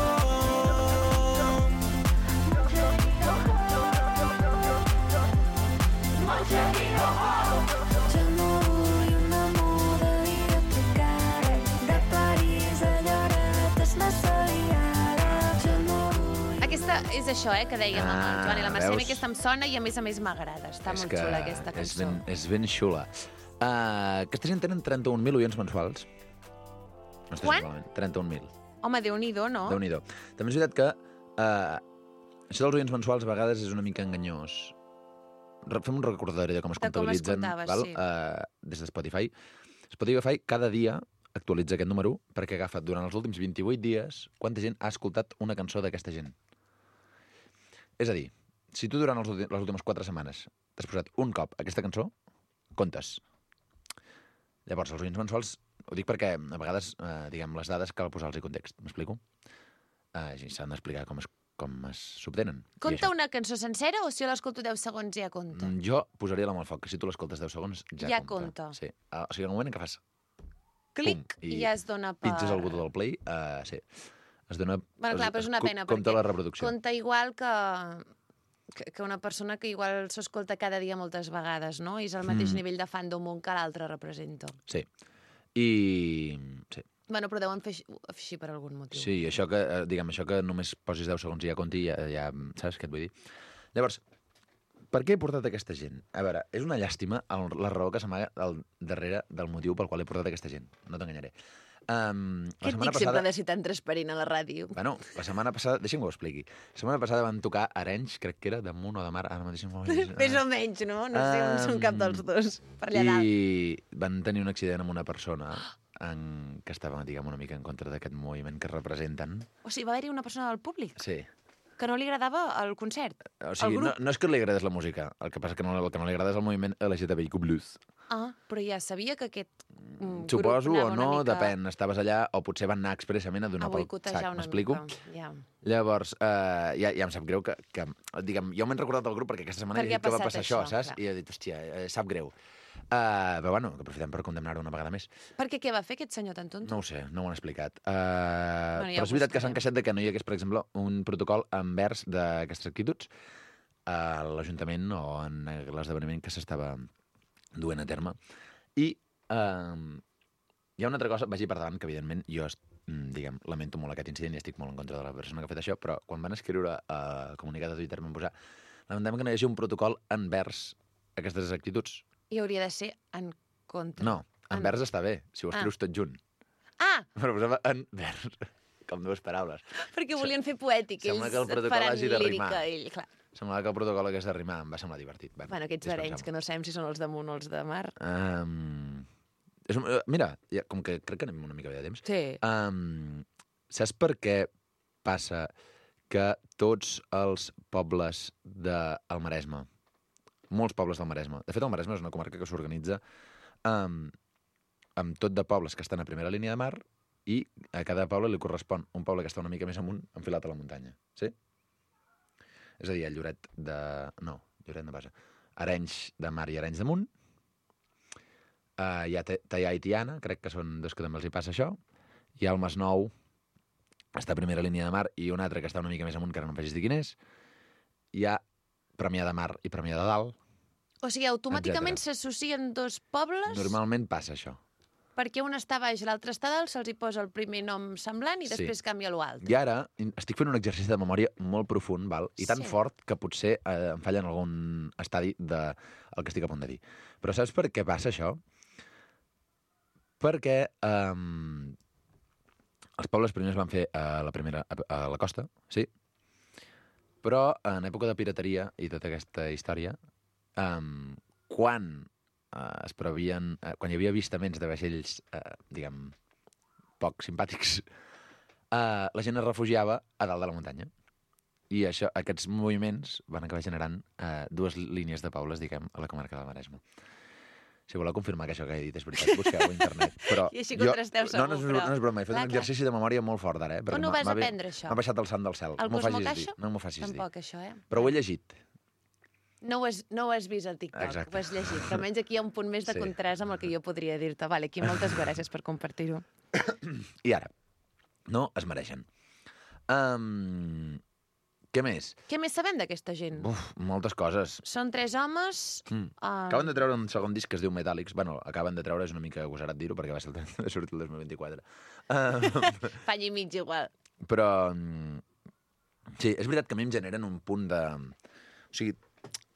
Jo no vull un amor de videotrucada, de París a Lloret és massa liada. Jo no vull... Aquesta és això, que dèiem amb el Joan i la Mercè. veus? Aquesta em sona i a més m'agrada. Està molt xula, aquesta cançó. És ben xula. Aquesta gent tenen 31.000 oients mensuals. No està Quant? malament. 31.000. Home, Déu-n'hi-do, no? Déu-n'hi-do. També és veritat que això dels oients mensuals a vegades és una mica enganyós. Fem un recordatori de com es De com es comptabilitzen comptava, val? sí. Des de Spotify. Spotify cada dia actualitza aquest número perquè agafa durant els últims 28 dies quanta gent ha escoltat una cançó d'aquesta gent. És a dir, si tu durant les últimes 4 setmanes t'has posat un cop aquesta cançó, comptes. Llavors, els oients mensuals, ho dic perquè a vegades, diguem, les dades cal posar-los en context. M'explico? S'han d'explicar com s'obtenen. I Compta això. una cançó sencera o si l'escolto 10 segons ja compta? Jo posaria la mà al foc, que si tu l'escoltes 10 segons ja, Ja compta. Sí. O sigui, en el moment en què fas Clic pum, i ja es dona per... pitges el botó del play, sí. Es dona... Bueno, clar, però és una pena, compta perquè la reproducció. compta igual que una persona que igual s'escolta cada dia moltes vegades, no? I és el mateix nivell de fandom un que l'altre represento. Sí. I... Sí. Bueno, però deuen fer així per algun motiu. Sí, això que, diguem, això que només posis 10 segons i ja compti, ja saps què et vull dir? Llavors, per què he portat aquesta gent? A veure, és una llàstima la raó que s'amaga darrere del motiu pel qual he portat aquesta gent. No t'enganyaré. Què et dic sempre de ser tan transparent a la ràdio? Bueno, la setmana passada... Deixa'm que ho expliqui. La setmana passada van tocar Arenys, crec que era, damunt o de mar, ara mateix... Més o menys, no? No sé on són cap dels dos. Per allà dalt. I van tenir un accident amb una persona que estava, diguem, una mica en contra d'aquest moviment que representen. O sigui, va haver-hi una persona del públic Sí. que no li agradava el concert, O sigui, el grup. no és que li agradés la música, el que passa que el que no li agrada és el moviment LGTBIQ+. Ah, però ja sabia que aquest Suposo grup o anava no, una mica depèn. Estaves allà o potser van anar expressament a donar a pel boicotejar sac, una m'explico? mica. Ja. Llavors, ja em sap greu que diguem, jo m'he recordat del grup perquè aquesta setmana Perquè he dit que ha va passat passar això, això, saps? clar. I he dit, hòstia, sap greu. Però bueno, que aprofitem per condemnar-ho una vegada més. Perquè què va fer aquest senyor tan tonto? No ho sé, no ho han explicat. ja Però ho és veritat que s'han buscarem. queixat de que no hi hagués, per exemple, un protocol envers d'aquestes actituds a l'Ajuntament o en l'esdeveniment que s'estava duent a terme. I hi ha una altra cosa, vagi per davant, que evidentment jo, diguem, lamento molt aquest incident i estic molt en contra de la persona que ha fet això, però quan van escriure el comunicat de Twitter van posar lamentem que no hi hagi un protocol envers aquestes actituds. I hauria de ser en contra. No, envers està bé, si ho escrius tot junt. Ah, Però posava envers, com dues paraules. perquè volien fer poètic. Sembla Ells que el protocol faran hagi de lírica. rimar. Ell, clar. Semblava que el protocol hagués de rimar, em va semblar divertit. Bueno, aquests arenys, que no sabem si són els damunt o els de mar. Mira, com que crec que anem una mica bé de temps. Sí. Saps per què passa que tots els pobles del Maresme, molts pobles del Maresme, de fet el Maresme és una comarca que s'organitza amb tot de pobles que estan a primera línia de mar i a cada poble li correspon un poble que està una mica més amunt, enfilat a la muntanya. Sí? És a dir, el Lloret de... No, Lloret de Base. Arenys de Mar i Arenys de Munt. Hi ha Teià i Tiana, crec que són dos que també els hi passa això. Hi ha el Masnou, està a primera línia de mar, i un altre que està una mica més amunt, que ara no em facis dir quin és. Hi ha Premià de Mar i Premià de Dalt. O sigui, automàticament s'associen dos pobles? Normalment passa això. perquè un està baix i l'altre està dalt, se'ls hi posa el primer nom semblant i després canvia l'altre. I ara estic fent un exercici de memòria molt profund, val? I tan fort que potser em falla en algun estadi del que estic a punt de dir. Però saps per què passa això? Perquè els pobles primers van fer a la costa, sí, però en època de pirateria i tota aquesta història, quan hi havia avistaments de vaixells, diguem, poc simpàtics, la gent es refugiava a dalt de la muntanya. I aquests moviments van acabar generant dues línies de pobles, diguem, a la comarca del Maresme. Si voleu confirmar que això que he dit és veritat, busqueu a internet. Però I així contrasteu segur, no és broma, he fet un exercici de memòria molt fort ara. On ho vas aprendre, això? M'ha baixat el sant del cel. El Cosmocaixa? No m'ho facis dir. Tampoc, això, Però ho he llegit. No ho has vist al TikTok, Exacte. ho has llegit. Però almenys aquí hi ha un punt més de contrast amb el que jo podria dir-te. Vale, aquí moltes gràcies per compartir-ho. I ara, no es mereixen. Què més? Què més sabem d'aquesta gent? Moltes coses. Són 3 homes... Acaben de treure un segon disc que es diu Metallics. Bueno, acaben de treure, és una mica agosarat dir-ho, perquè va sortir el 2024. Fa any i mig igual. Però, sí, és veritat que a mi em generen un punt de... O sigui,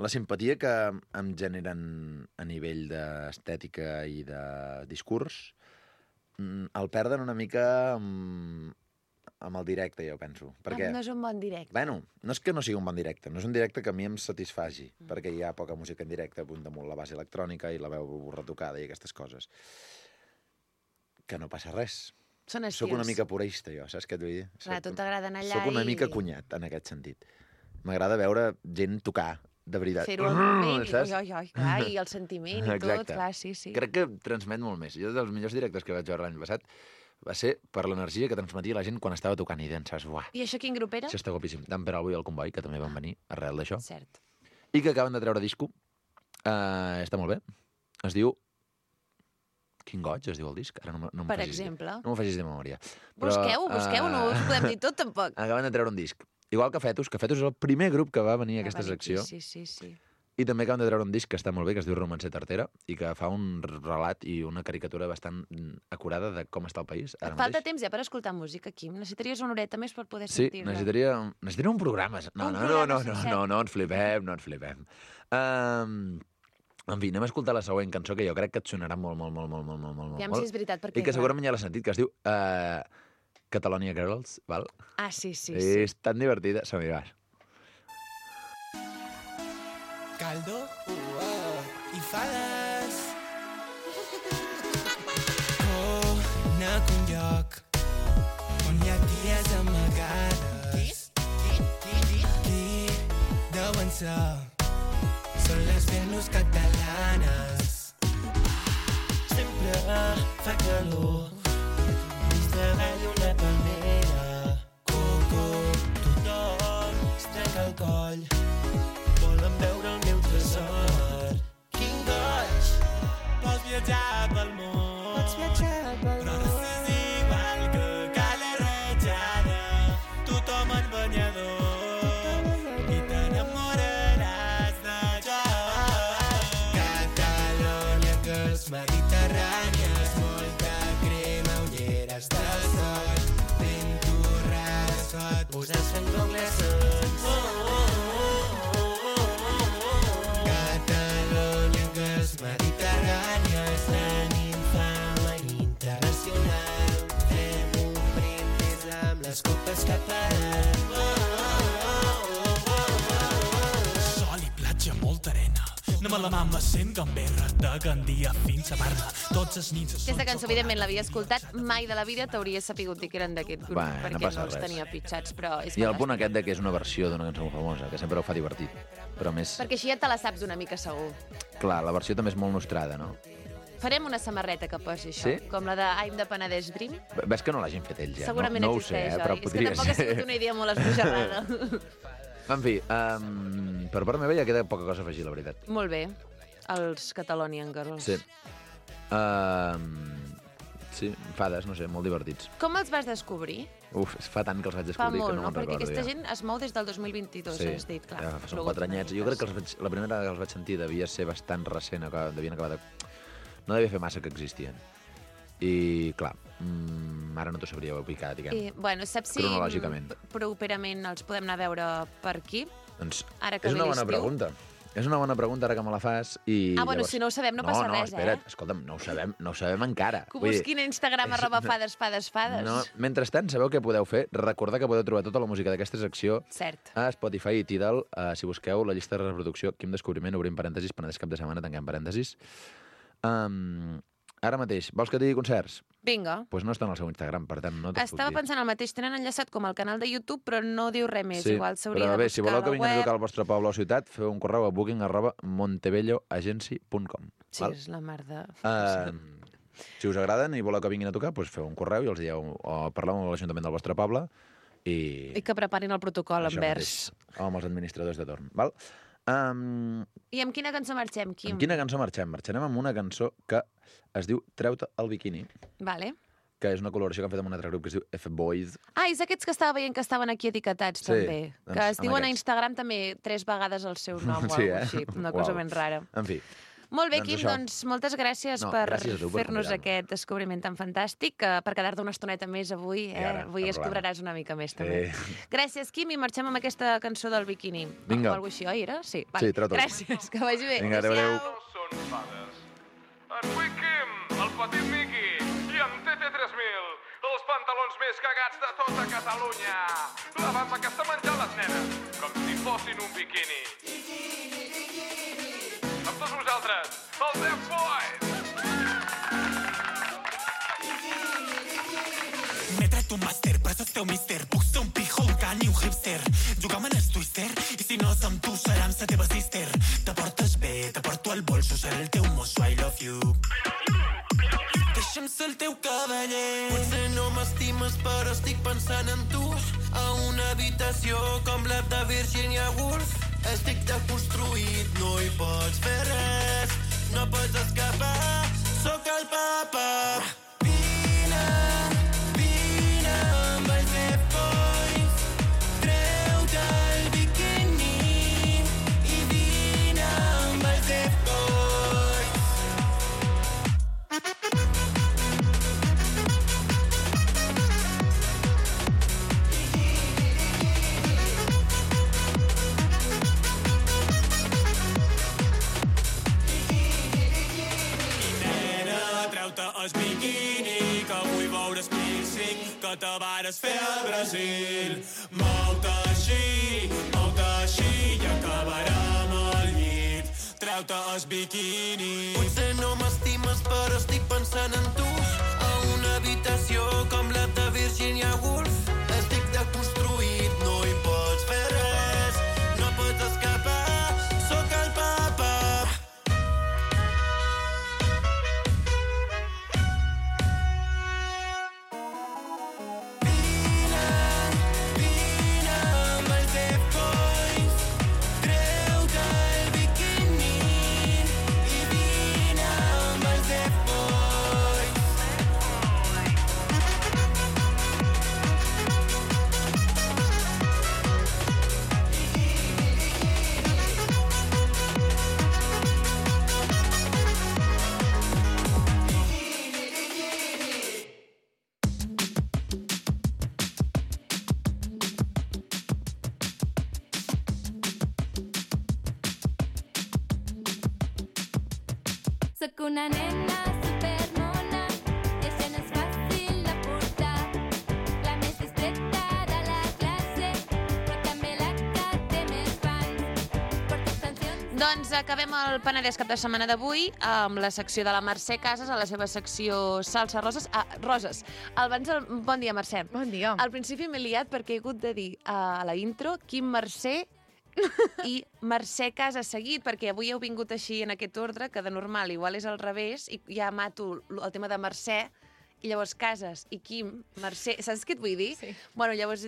la simpatia que em generen a nivell d'estètica i de discurs el perden una mica amb el directe, jo penso. Perquè, no és un bon directe. Bueno, no és que no sigui un bon directe, no és un directe que a mi em satisfaci, perquè hi ha poca música en directe, damunt la base electrònica i la veu retocada i aquestes coses. Que no passa res. Són estils. Soc una mica purista, jo, saps què et vull dir? Clar, tu t'agrada anar allà Soc una mica cunyat, en aquest sentit. M'agrada veure gent tocar, de veritat. Fer-ho al moment, clar, i el sentiment i tot, clar, sí. Crec que transmet molt més. Jo, dels millors directes que vaig veure l'any passat, va ser per l'energia que transmetia la gent quan estava tocant i pensaves, uah. I això quin grup era? Això està guapíssim. Dan Peralbo i el Comboi, que també van venir arrel d'això. Cert. I que acaben de treure disco. Està molt bé. Es diu... Quin goig es diu el disc? Ara no per exemple. No m'ho facis de memòria. Busqueu, no us podem dir tot, tampoc. Acaben de treure un disc. Igual que Fetus és el primer grup que va venir a aquesta secció. Sí. I també acaben de treure un disc que està molt bé, que es diu Romancer Tartera, i que fa un relat i una caricatura bastant acurada de com està el país ara mateix. Falta temps ja per escoltar música, Quim. Necessitaries una horeta més per poder sentir-la. Sí, necessitaria un programa. No, ens flipem. En fi, anem a escoltar la següent cançó, que jo crec que et sonarà molt. Ja si és veritat, perquè... I que segurament ja l'has sentit, que es diu Catalonia Girls, val? Ah, sí. És tan divertida. Som-hi, vas. Caldo i fades. Conec un lloc on hi ha ties amagades. Qui deuen ser? Són les Venus catalanes. Sempre fa calor dins davall una palmera. Coco, tothom es trenca el coll. Volen veure el meu tresor. Quin goig! Pots viatjar pel món. Però estàs igual que Cala Ratjada. Tothom en banyador. I t'enamoraràs de jo. Catalunya, que és mediterrània. Molta crema, ulleres de sol. Ben torrada, sot. Posar Sant Conglessons. Mediterrània és la ninfa internacional. Fem un brindis amb les copes que paran. Sol i platja, molta arena. Anem a la mamba sent gamberra, de Gandia fins a Barna. Tots els nits... Aquesta cançó, evidentment, l'havia escoltat. Mai de la vida t'hauria sapigut dir que eren d'aquest grup, perquè no els tenia pitjats, però... I el punt aquest de que és una versió d'una cançó famosa, que sempre ho fa divertit, però més... Perquè així ja te la saps una mica segur. Clar, la versió també és molt nostrada, no? Farem una samarreta que posi això, com la de I'm de Penedès Brim. Ves que no l'hagin fet ells ja, segurament no ho sé, però podria ser. És que tampoc ha sigut una idea molt esbojarrada. En fi, per part meva ja queda poca cosa a afegir, la veritat. Molt bé, els Catalonian Girls. Sí. Sí, fades, no sé, molt divertits. Com els vas descobrir? Fa tant que els vaig descobrir que no me'n recordo. Perquè aquesta gent es mou des del 2022, has dit, clar. Sí, són 4 anyets. Jo crec que la primera que els vaig sentir devia ser bastant recent, devien acabar de... No devia fer massa que existien. I, clar, ara no t'ho sabria ubicar, diguem, Bueno, saps si cronològicament. properament els podem anar a veure per aquí? Doncs Ara que és ve una bona l'estiu. pregunta. És una bona pregunta ara que me la fas. I Bueno, llavors... si no ho sabem no passa res, espera't, escolta'm, no ho sabem encara. Que ho Vull dir, busquin a Instagram @fades. No, mentrestant, sabeu què podeu fer? Recordar que podeu trobar tota la música d'aquesta secció Cert. a Spotify i Tidal. Si busqueu la llista de reproducció, Quim Descobriment, obrim parèntesis, Penedès cap de setmana, tanquem parèntesis. Ara mateix, vols que et digui concerts? Vinga. Doncs no estan al seu Instagram, per tant, no t'ho puc Estava dir. pensant el mateix. Tenen enllaçat com al canal de YouTube, però no diu res més. Sí, Igual s'hauria però de bé, buscar si voleu que a la vinguin a web. tocar al vostre poble o ciutat, feu un correu a booking@montebelloagency.com. Sí, és la mar de... Si us agraden i voleu que vinguin a tocar, doncs feu un correu i els dieu o parleu amb l'Ajuntament del vostre poble I que preparin el protocol això envers. mateix, o amb els administradors de torn. Val? I amb quina cançó marxem, Quim? Amb quina cançó marxem? Marxarem amb una cançó que es diu Treu-te el biquini, Vale. que és una col·laboració que han fet amb un altre grup que es diu F-Boys. És aquests que estava veient que estaven aquí etiquetats, Sí, també. doncs, Que es amb diuen a aquests. Instagram també 3 vegades el seu nom o Sí, alguna així. Una cosa Uau. ben rara. En fi. Molt bé, Doncs Quim, això. doncs moltes gràcies No, per gràcies a tu per fer-nos convidar-me. aquest descobriment tan fantàstic, per quedar-te una estoneta més avui. I ara, Avui cap es problema. cobraràs una mica més, també. Sí. Gràcies, Quim, i marxem amb aquesta cançó del biquini. Vinga. O alguna així, oi, era? Sí, Sí, treu-te'l. Gràcies, que vagi bé. Vinga, adéu. No són fades. En Wickham, el petit Miqui, i en TT3000, els pantalons més cagats de tota Catalunya. La bamba que està menjant les nenes, com si fossin un biquini. Amb tots vosaltres, els F-Boys! M'he tret un màster, però sos teu míster. Puc ser un pijo, un can i un hipster. Jugam en el twister, i si no és amb tu, serà amb la teva sister. Te portes bé, te porto al bolso, seré el teu mosso, I love you. Deixa'm ser el teu cavaller. Potser no m'estimes, però estic pensant en tu. A una habitació com la de Virginia Woolf. Estic deconstruït, no hi pots fer res. No pots escapar, sóc el papa. Vine amb els F-Boys. Treu-te el biquini i vine amb els F-Boys. Nena, treu-te el biquini, que vull veure el piercing que te vares fer al Brasil. Mou-te així i acabarem al llit. Treu-te el biquini. Potser no m'estimes, però estic pensant en tu. A una habitació com la de Virginia Woolf. Estic deconstruït, no hi pots fer res. No pots escapar, sóc el papa. Vine amb els F-Boys. Treu-te el biquini i vine amb els F-Boys. Sóc una nena supermona, això no és fàcil de portar. La més distreta de la classe, però també la que té més fans. Porto cancions... Doncs acabem el Penedès cap de setmana d'avui amb la secció de la Mercè Casas, a la seva secció Salsa Roses. Roses. Bon dia, Mercè. Bon dia. Al principi m'he liat perquè he hagut de dir a la intro Quim Mercè i Mercè Casas seguit, perquè avui heu vingut així en aquest ordre, que de normal igual és al revés, i ja mato el tema de Mercè, i llavors Casas i Quim, Mercè... Saps què et vull dir? Sí. Bueno, llavors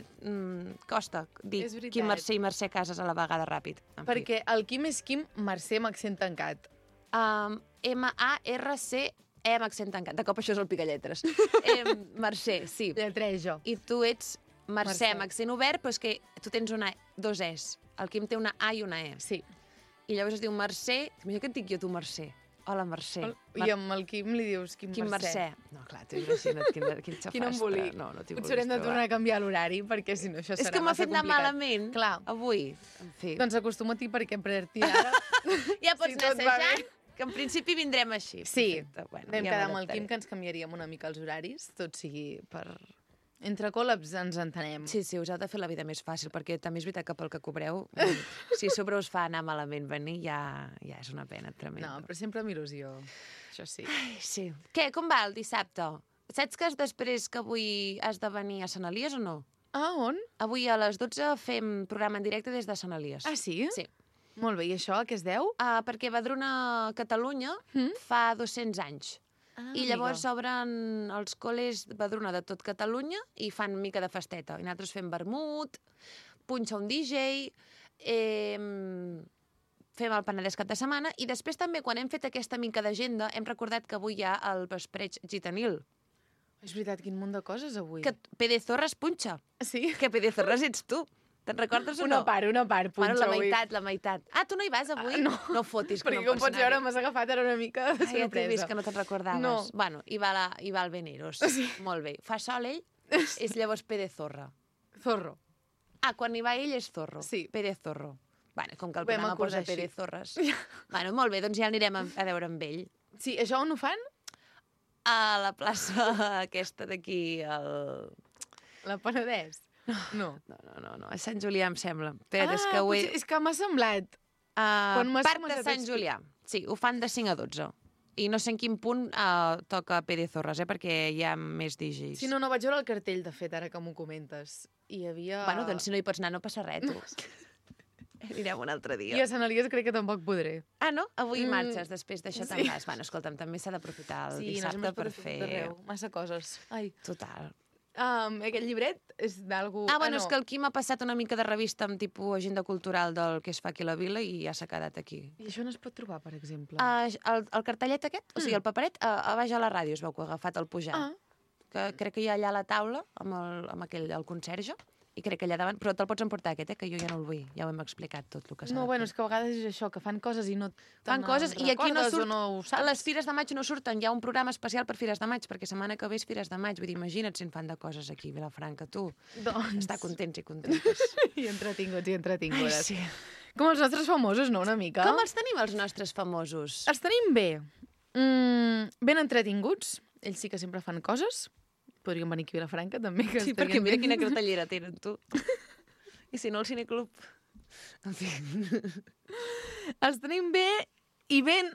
costa dir És veritat. Quim Mercè i Mercè Casas a la vegada ràpid. En fi. Perquè el Quim és Quim, Mercè amb accent tancat. M-A-R-C, amb accent tancat. De cop això és el picalletres. Mercè, sí. Lletrejo. I tu ets Mercè Mercè. amb accent obert, però és que tu tens dos Es. El Quim té una A i una E. Sí. I llavors es diu Mercè... Imagina que et dic jo tu Mercè. Hola, Mercè. I amb el Quim li dius Quim Mercè. No, clar, t'ho imagina't quin xafastre. Quin embolic. No t'hi Potser haurem de tornar a canviar l'horari, perquè si no això serà És que m'ha massa fet anar complicat. malament Clar. avui. En fi. Doncs acostuma't-hi perquè a partir d'ara... Ja pots si anar tot va assajant, bé. que en principi vindrem així. Sí, Perfecte. Bueno, vam ja quedar amb el m'adaptaré. Quim que ens canviaríem una mica els horaris, tot sigui per... Entre col·labs ens entenem. Sí, us heu de fer la vida més fàcil, perquè també és veritat que pel que cobreu, si a sobre us fa anar malament venir, ja és una pena tremenda. No, però sempre amb il·lusió, això sí. Ai, sí. Què, com va el dissabte? Saps que després que avui has de venir a Sant Elies o no? Ah, on? Avui a les 12 fem programa en directe des de Sant Elies. Ah, sí? Sí. Molt bé, i això a què es deu? Perquè Badruna Catalunya fa 200 anys. I llavors obren els col·les Badruna de tot Catalunya i fan mica de festeta. I nosaltres fem vermut, punxa un DJ, fem el Penedès cap de setmana i després també, quan hem fet aquesta mica d'agenda, hem recordat que avui hi ha el vespreig gitanil. És veritat, quin munt de coses avui. Que Pedezorres punxa. Sí? Que Pedezorres ets tu. Te'n recordes o no? Una part, punxa Bueno, avui. la meitat. Ah, tu no hi vas avui? No. No fotis, que Perquè no com pots pots veure, anar-hi. m'has agafat ara una mica de Ai, ja t'he sorpresa. vist que no te'n recordaves. No. Bueno, hi va el Veneros. Sí. Molt bé. Fa sol ell, és llavors Pedezorra. Zorro. Ah, quan hi va ell és Zorro. Sí. Pedezorro. Bueno, com que el Vam programa acordar posa així. Pedezorres. Bueno, molt bé, doncs ja anirem a veure amb ell. Sí, això on ho fan? A la plaça aquesta d'aquí, La Penedès? No. No, a Sant Julià, em sembla. Espera, és que ho he... potser, és que m'ha semblat. Quan m'has Parc de començat a Sant explicar. Julià. Sí, ho fan de 5 a 12. I no sé en quin punt toca Pedezorres, perquè hi ha més DJs. Sí, no vaig veure el cartell, de fet, ara que m'ho comentes. Hi havia... Bueno, doncs si no hi pots anar no passa res, tu. Anirem un altre dia. I a Sant Elies crec que tampoc podré. Ah, no? Avui marxes, després d'això sí. te'n vas. Bueno, escolta'm, també s'ha d'aprofitar el dissabte per fer... Massa coses. Ai. Total. Aquest llibret és d'algú... Bueno, no. és que el Quim ha passat una mica de revista amb tipus agenda cultural del que es fa aquí a la vila i ja s'ha quedat aquí. I això no es pot trobar, per exemple? El cartellet aquest, o sigui, el paperet, a baix a la ràdio es veu que ha agafat el pujant. Que crec que hi ha allà a la taula, amb el conserge, i crec que allà davant... Però te'l pots emportar, aquest, que jo ja no el vull. Ja ho hem explicat tot el que s'ha de fer. És que a vegades és això, que fan coses i no Fan coses, i aquí no surt... no ho saps. A les Fires de Maig no surten. Hi ha un programa especial per Fires de Maig, perquè setmana que ve és Fires de Maig. Vull dir, imagina't si en fan de coses aquí a Vilafranca, tu. Doncs... Està contents i contentes. I entretingudes. Ai, sí. Com els nostres famosos, no?, una mica. Com els tenim, els nostres famosos? Els tenim bé. Ben entretinguts. Ells sí que sempre fan coses. Podríem venir aquí a Vilafranca, també. Que Sí, perquè mira quina cartellera tenen, tu. I si no, el cineclub... En fi... Els tenim bé i ben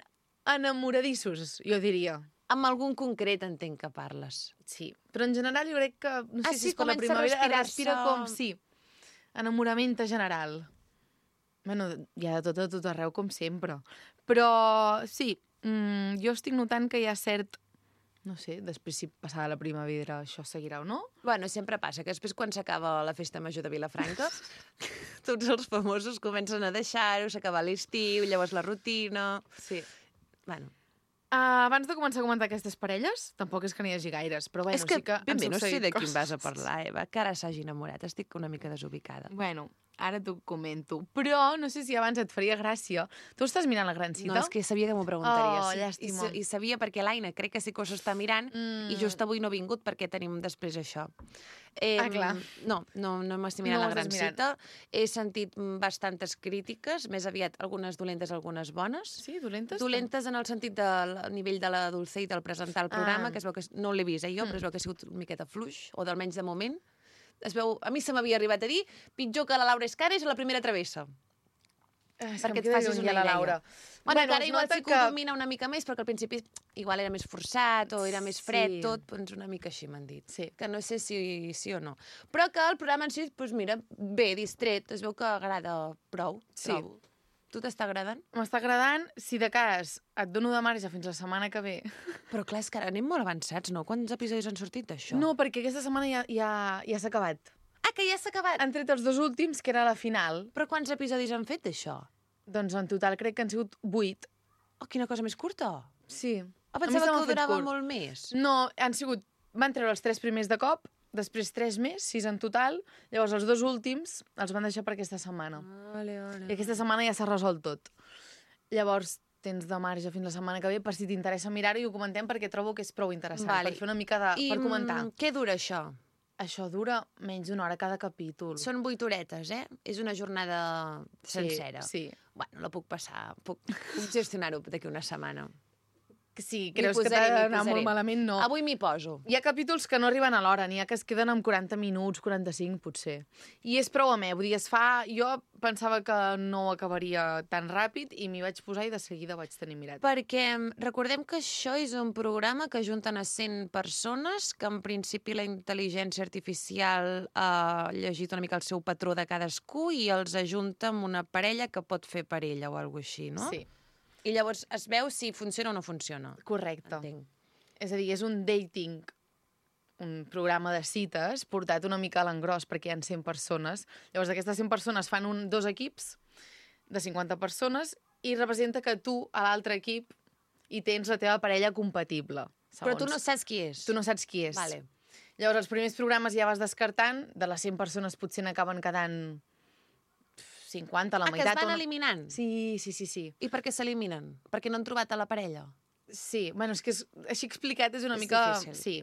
enamoradissos, jo diria. Amb algun concret entenc que parles. Sí, però en general jo crec que... No sé si és com la comença a primavera, respirar-se. respira com... Sí, enamorament general. Bueno, hi ha de tot arreu, com sempre. Però sí, jo estic notant que hi ha cert... No sé, després si passada la primavera això seguirà o no. Bueno, sempre passa, que després quan s'acaba la festa major de Vilafranca, tots els famosos comencen a deixar-ho, s'acaba l'estiu, llavors la rutina... Sí. Bueno. Abans de començar a comentar aquestes parelles, tampoc és que n'hi hagi gaires, però bueno, És que sí que ben han bé, no sé succeït de quin coses. vas a parlar, Eva, que ara s'hagi enamorat. Estic una mica desubicada. Bueno, ara t'ho comento. Però no sé si abans et faria gràcia. Tu estàs mirant la gran cita? No, és que sabia que m'ho preguntaries. Oh, llàstima. I sabia perquè l'Aina crec que sí que s'ho està mirant i just avui no ha vingut perquè tenim després això. Clar. No m'estic mirant No ho la gran estàs mirant. cita. He sentit bastantes crítiques, més aviat algunes dolentes, algunes bones. Sí, dolentes? Dolentes en el sentit del nivell de la Dulce i del presentar el programa, que es veu que no l'he vist jo, però es veu que ha sigut una miqueta fluix, o d'almenys de moment. Es veu, a mi se m'havia arribat a dir pitjor que la Laura Escares a la primera travessa. Perquè et facis una idea. Laura. Bueno, que ara es igual nota sí que ho domina una mica més, perquè al principi igual era més forçat o era més fred, Sí. tot, doncs una mica així m'han dit. Sí. Que no sé si sí o no. Però que el programa en si, doncs mira, bé, distret, es veu que agrada prou. Sí. Trobo. Tu t'està agradant? M'està agradant. Si de cas et dono de marge fins la setmana que ve. Però clar, és que ara anem molt avançats, no? Quants episodis han sortit d'això? No, perquè aquesta setmana ja s'ha acabat. Ah, que ja s'ha acabat? Han tret els 2 últims, que era la final. Però quants episodis han fet d'això? Doncs en total crec que han sigut 8. Oh, quina cosa més curta. Sí. Ah, A mi pensava se m'ha que ho fet durava curt. molt més. No, van treure els 3 primers de cop, després 3 més, 6 en total, llavors els 2 últims els van deixar per aquesta setmana. Vale. I aquesta setmana ja s'ha resolt tot. Llavors, tens de marge fins la setmana que ve per si t'interessa mirar-ho i ho comentem perquè trobo que és prou interessant Vale. per fer una mica per comentar. Què dura això? Això dura menys d'una hora cada capítol. Són 8 horetes, eh? És una jornada sencera. Sí. Bueno, la puc passar, puc gestionar-ho d'aquí una setmana. Sí, creus que t'ha d'anar molt malament? No. Avui m'hi poso. Hi ha capítols que no arriben a l'hora, n'hi ha que es queden amb 40 minuts, 45 potser. I és prou amè, vull dir, Jo pensava que no acabaria tan ràpid i m'hi vaig posar i de seguida vaig tenir mirat. Perquè recordem que això és un programa que junten a 100 persones, que en principi la intel·ligència artificial ha llegit una mica el seu patró de cadascú i els ajunta amb una parella que pot fer parella o alguna cosa així, no? Sí. I llavors es veu si funciona o no funciona. Correcte. Entenc. És a dir, és un dating, un programa de cites portat una mica a l'engròs perquè hi ha 100 persones. Llavors, d'aquestes 100 persones fan dos equips de 50 persones i representa que tu, a l'altre equip, hi tens la teva parella compatible. Però tu no saps qui és. Tu no saps qui és. Vale. Llavors, els primers programes ja vas descartant, de les 100 persones potser n'acaben quedant 50, la meitat. Que es van eliminant? Sí. I per què s'eliminen? Perquè no han trobat a la parella? Sí, bueno, és que així explicat és una És mica... difícil. Sí,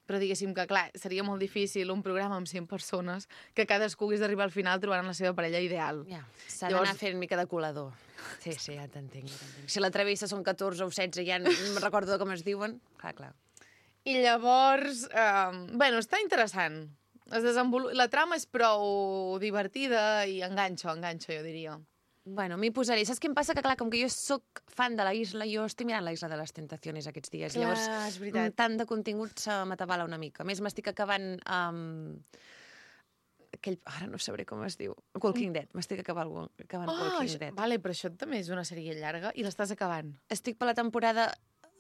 però diguéssim que, clar, seria molt difícil un programa amb 100 persones que cadascú hagués d'arribar al final trobant la seva parella ideal. Ja, s'ha d'anar fent mica de colador. Sí, ja t'entenc. Si la travessa són 14 o 16, ja no me'n recordo com es diuen. Clar. I llavors, bueno, està interessant. La trama és prou divertida i enganxa, jo diria. Bueno, m'hi posaré. Saps què em passa? Que clar, com que jo sóc fan de la isla, jo estic mirant la isla de les tentaciones aquests dies. Clar, Llavors, és veritat. tant de contingut se m'atabala una mica. A més, m'estic acabant... Ara no sabré com es diu. Walking Dead. M'estic acabant Walking Dead. Vale, però això també és una sèrie llarga i l'estàs acabant. Estic per la temporada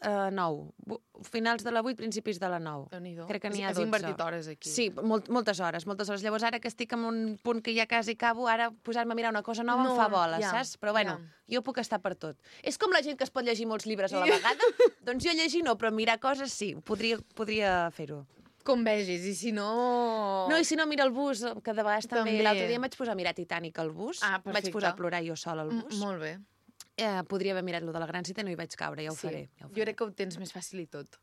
9. Finals de la 8, principis de la 9. Déu-n'hi-do. Crec que n'hi ha Has 12. invertit hores aquí. Sí, moltes hores. Llavors, ara que estic en un punt que ja quasi acabo, ara posar-me a mirar una cosa nova em fa bola, saps? Però bueno, jo puc estar per tot. És com la gent que es pot llegir molts llibres a la vegada. Doncs jo llegir no, però mirar coses sí. Podria fer-ho. Com vegis, i si no... No, i si no, mira el bus, que de vegades també. L'altre dia em vaig posar a mirar Titanic al bus. Perfecte. Vaig posar a plorar jo sola al bus. Molt bé. Podria haver mirat lo de la gran cita i no hi vaig caure, ja ho faré. Jo crec que ho tens més fàcil i tot.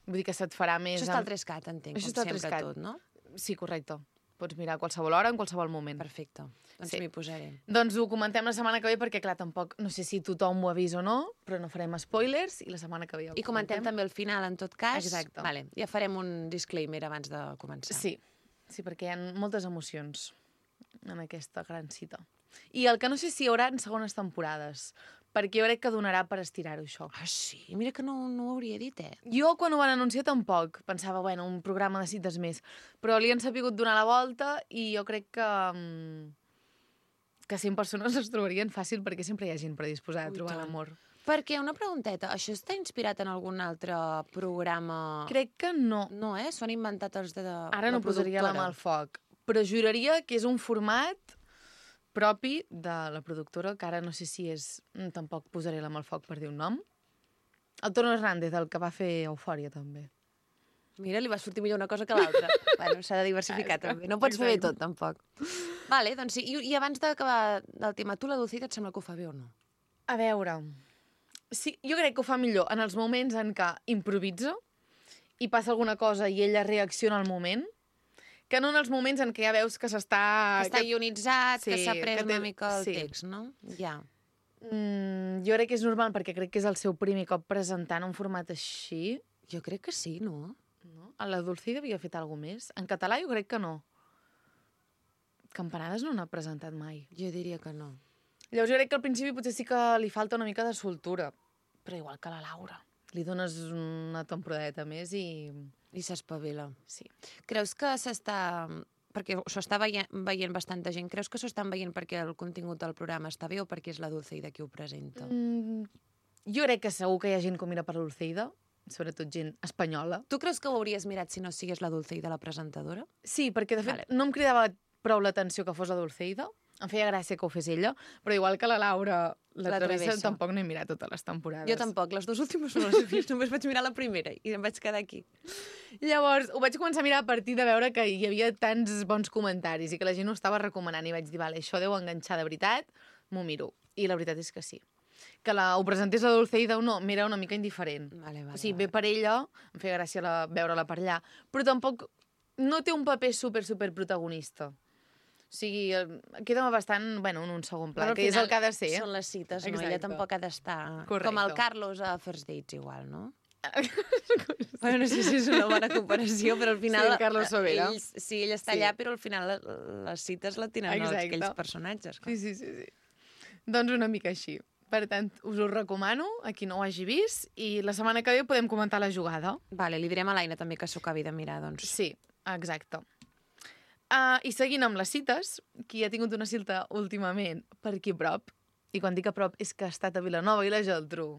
Vull dir que se't farà més... Això està al 3CAT, entenc, Això com està al sempre 3CAT. tot, no? Sí, correcte. Pots mirar a qualsevol hora, en qualsevol moment. Perfecte. Doncs m'hi posaré. Doncs ho comentem la setmana que ve, perquè, clar, tampoc... No sé si tothom ho ha vist o no, però no farem spoilers, i la setmana que ve ja ho I comentem també el final, en tot cas. Exacte. Vale, ja farem un disclaimer abans de començar. Sí, perquè hi ha moltes emocions en aquesta gran cita. I el que no sé si hi haurà en segones temporades, perquè jo crec que donarà per estirar-ho, això. Ah, sí? Mira que no ho hauria dit, Jo, quan ho van anunciar, tampoc. Pensava, bueno, un programa de cites més. Però li han sabut donar la volta i jo crec que 100 persones es trobarien fàcil perquè sempre hi ha gent predisposada a trobar l'amor. Perquè, una pregunteta, això està inspirat en algun altre programa? Crec que no. No, S'ho han inventat els de Ara no posaria la mà al foc, però juraria que és un format propi de la productora, que ara no sé si és... Tampoc posaré la mà al foc per dir un nom. El Tono Hernández, el que va fer Eufòria, també. Mira, li va sortir millor una cosa que l'altra. Bueno, s'ha de diversificar, també. No pots fer bé tot, tampoc. Vale, doncs sí. I abans d'acabar el tema, tu la Dulcida et sembla que ho fa bé o no? A veure... Sí, jo crec que ho fa millor en els moments en què improvisa i passa alguna cosa i ella reacciona al moment, que no en els moments en què ja veus que s'està... Que està ionitzat, que s'ha pres una mica el text, no? Ja. Jo crec que és normal, perquè crec que és el seu primer cop presentant un format així. Jo crec que sí, no? A la Dulcida havia fet alguna més. En català jo crec que no. Campanades no n'ha presentat mai. Jo diria que no. Llavors jo crec que al principi potser sí que li falta una mica de soltura, però igual que la Laura. Li dones una temporadeta més i... I s'espavila. Sí. Creus que s'està... Perquè s'ho està veient bastanta gent. Creus que s'ho estan veient perquè el contingut del programa està bé o perquè és la Dulceida qui ho presenta? Jo crec que segur que hi ha gent que ho mira per la Dulceida, sobretot gent espanyola. Tu creus que ho hauries mirat si no sigués la Dulceida la presentadora? Sí, perquè de fet no em cridava prou l'atenció que fos la Dulceida. Em feia gràcia que ho fes ella, però igual que la Laura, la Travessa, tampoc no he mirat totes les temporades. Jo tampoc, les dues últimes no les he vist, només vaig mirar la primera i em vaig quedar aquí. Llavors, ho vaig començar a mirar a partir de veure que hi havia tants bons comentaris i que la gent ho estava recomanant i vaig dir, vale, això deu enganxar de veritat, m'ho miro. I la veritat és que sí. que ho presentés la Dulceida o no, m'era una mica indiferent. Vale, O sigui, ve per ella, em feia gràcia veure-la per allà, però tampoc no té un paper super protagonista. O sigui, queda bastant, bueno, en un segon pla, Però al que és el final que ha de ser. Són les cites, no? Exacte. Ella tampoc ha d'estar... Correcte. Com el Carlos a First Dates, igual, no? Bueno, no sé si és una bona comparació, però al final... Sí, el Carlos Sobera. Ell està allà, però al final les cites la tenen aquells personatges. Clar. Sí. Doncs una mica així. Per tant, us ho recomano, a qui no ho hagi vist, i la setmana que ve podem comentar la jugada. Vale, li direm a l'Aina també que s'ho acabi de mirar, doncs. Sí, exacte. I seguint amb les cites, qui ha tingut una cita últimament per aquí a prop, i quan dic a prop és que ha estat a Vilanova i la Geltrú,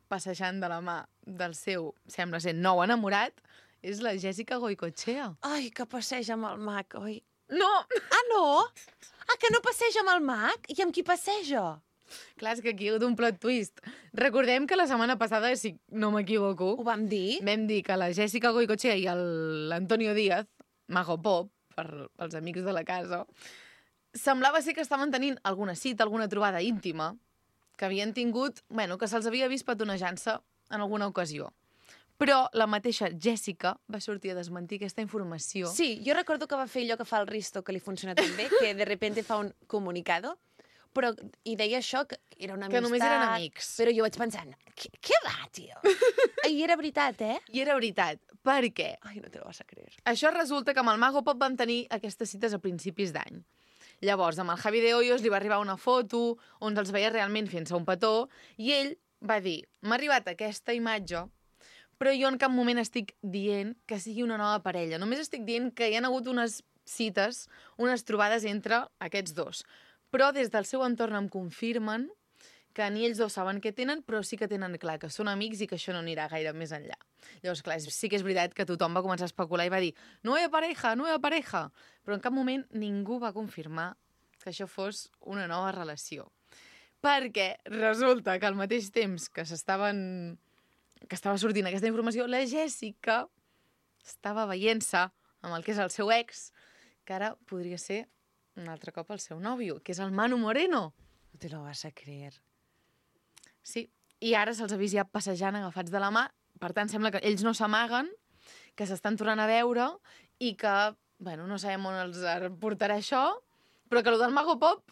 passejant de la mà del seu, sembla ser, nou enamorat, és la Jessica Goicoechea. Ai, que passeja amb el mag, oi? No! Ah, no? Ah, que no passeja amb el mag? I amb qui passeja? Clar, és que aquí hi ha hagut un plot twist. Recordem que la setmana passada, si no m'equivoco... Ho vam dir? Vam dir que la Jessica Goicoechea i l'Antonio Díaz, Mago Pop, pels amics de la casa, semblava ser que estaven tenint alguna cita, alguna trobada íntima, que havien tingut, bueno, que se'ls havia vist petonejant-se en alguna ocasió. Però la mateixa Jessica va sortir a desmentir aquesta informació. Sí, jo recordo que va fer allò que fa el Risto, que li funciona tan bé, que de repente fa un comunicado, però, i deia això, que era una amistat... Que només eren amics. Però jo vaig pensant, què va, tio? I era veritat, eh? I era veritat. Per què? Ai, no te lo vas a creer. Això resulta que amb el Mago Pop van tenir aquestes cites a principis d'any. Llavors, amb el Javi de Hoyos li va arribar una foto on els veia realment fent-se un petó i ell va dir, m'ha arribat aquesta imatge, però jo en cap moment estic dient que sigui una nova parella. Només estic dient que hi ha hagut unes cites, unes trobades entre aquests dos. Però des del seu entorn em confirmen que ni ells dos saben què tenen, però sí que tenen clar que són amics i que això no anirà gaire més enllà. Llavors, clar, sí que és veritat que tothom va començar a especular i va dir nueva pareja, però en cap moment ningú va confirmar que això fos una nova relació. Perquè resulta que al mateix temps que estava sortint aquesta informació, la Jessica estava veient-se amb el que és el seu ex, que ara podria ser un altre cop el seu nòvio, que és el Manu Moreno. No te lo vas a creer. Sí, i ara se'ls ha vist ja passejant agafats de la mà, per tant sembla que ells no s'amaguen, que s'estan tornant a veure i que, bueno, no sabem on els portarà això, però que el del Mago Pop,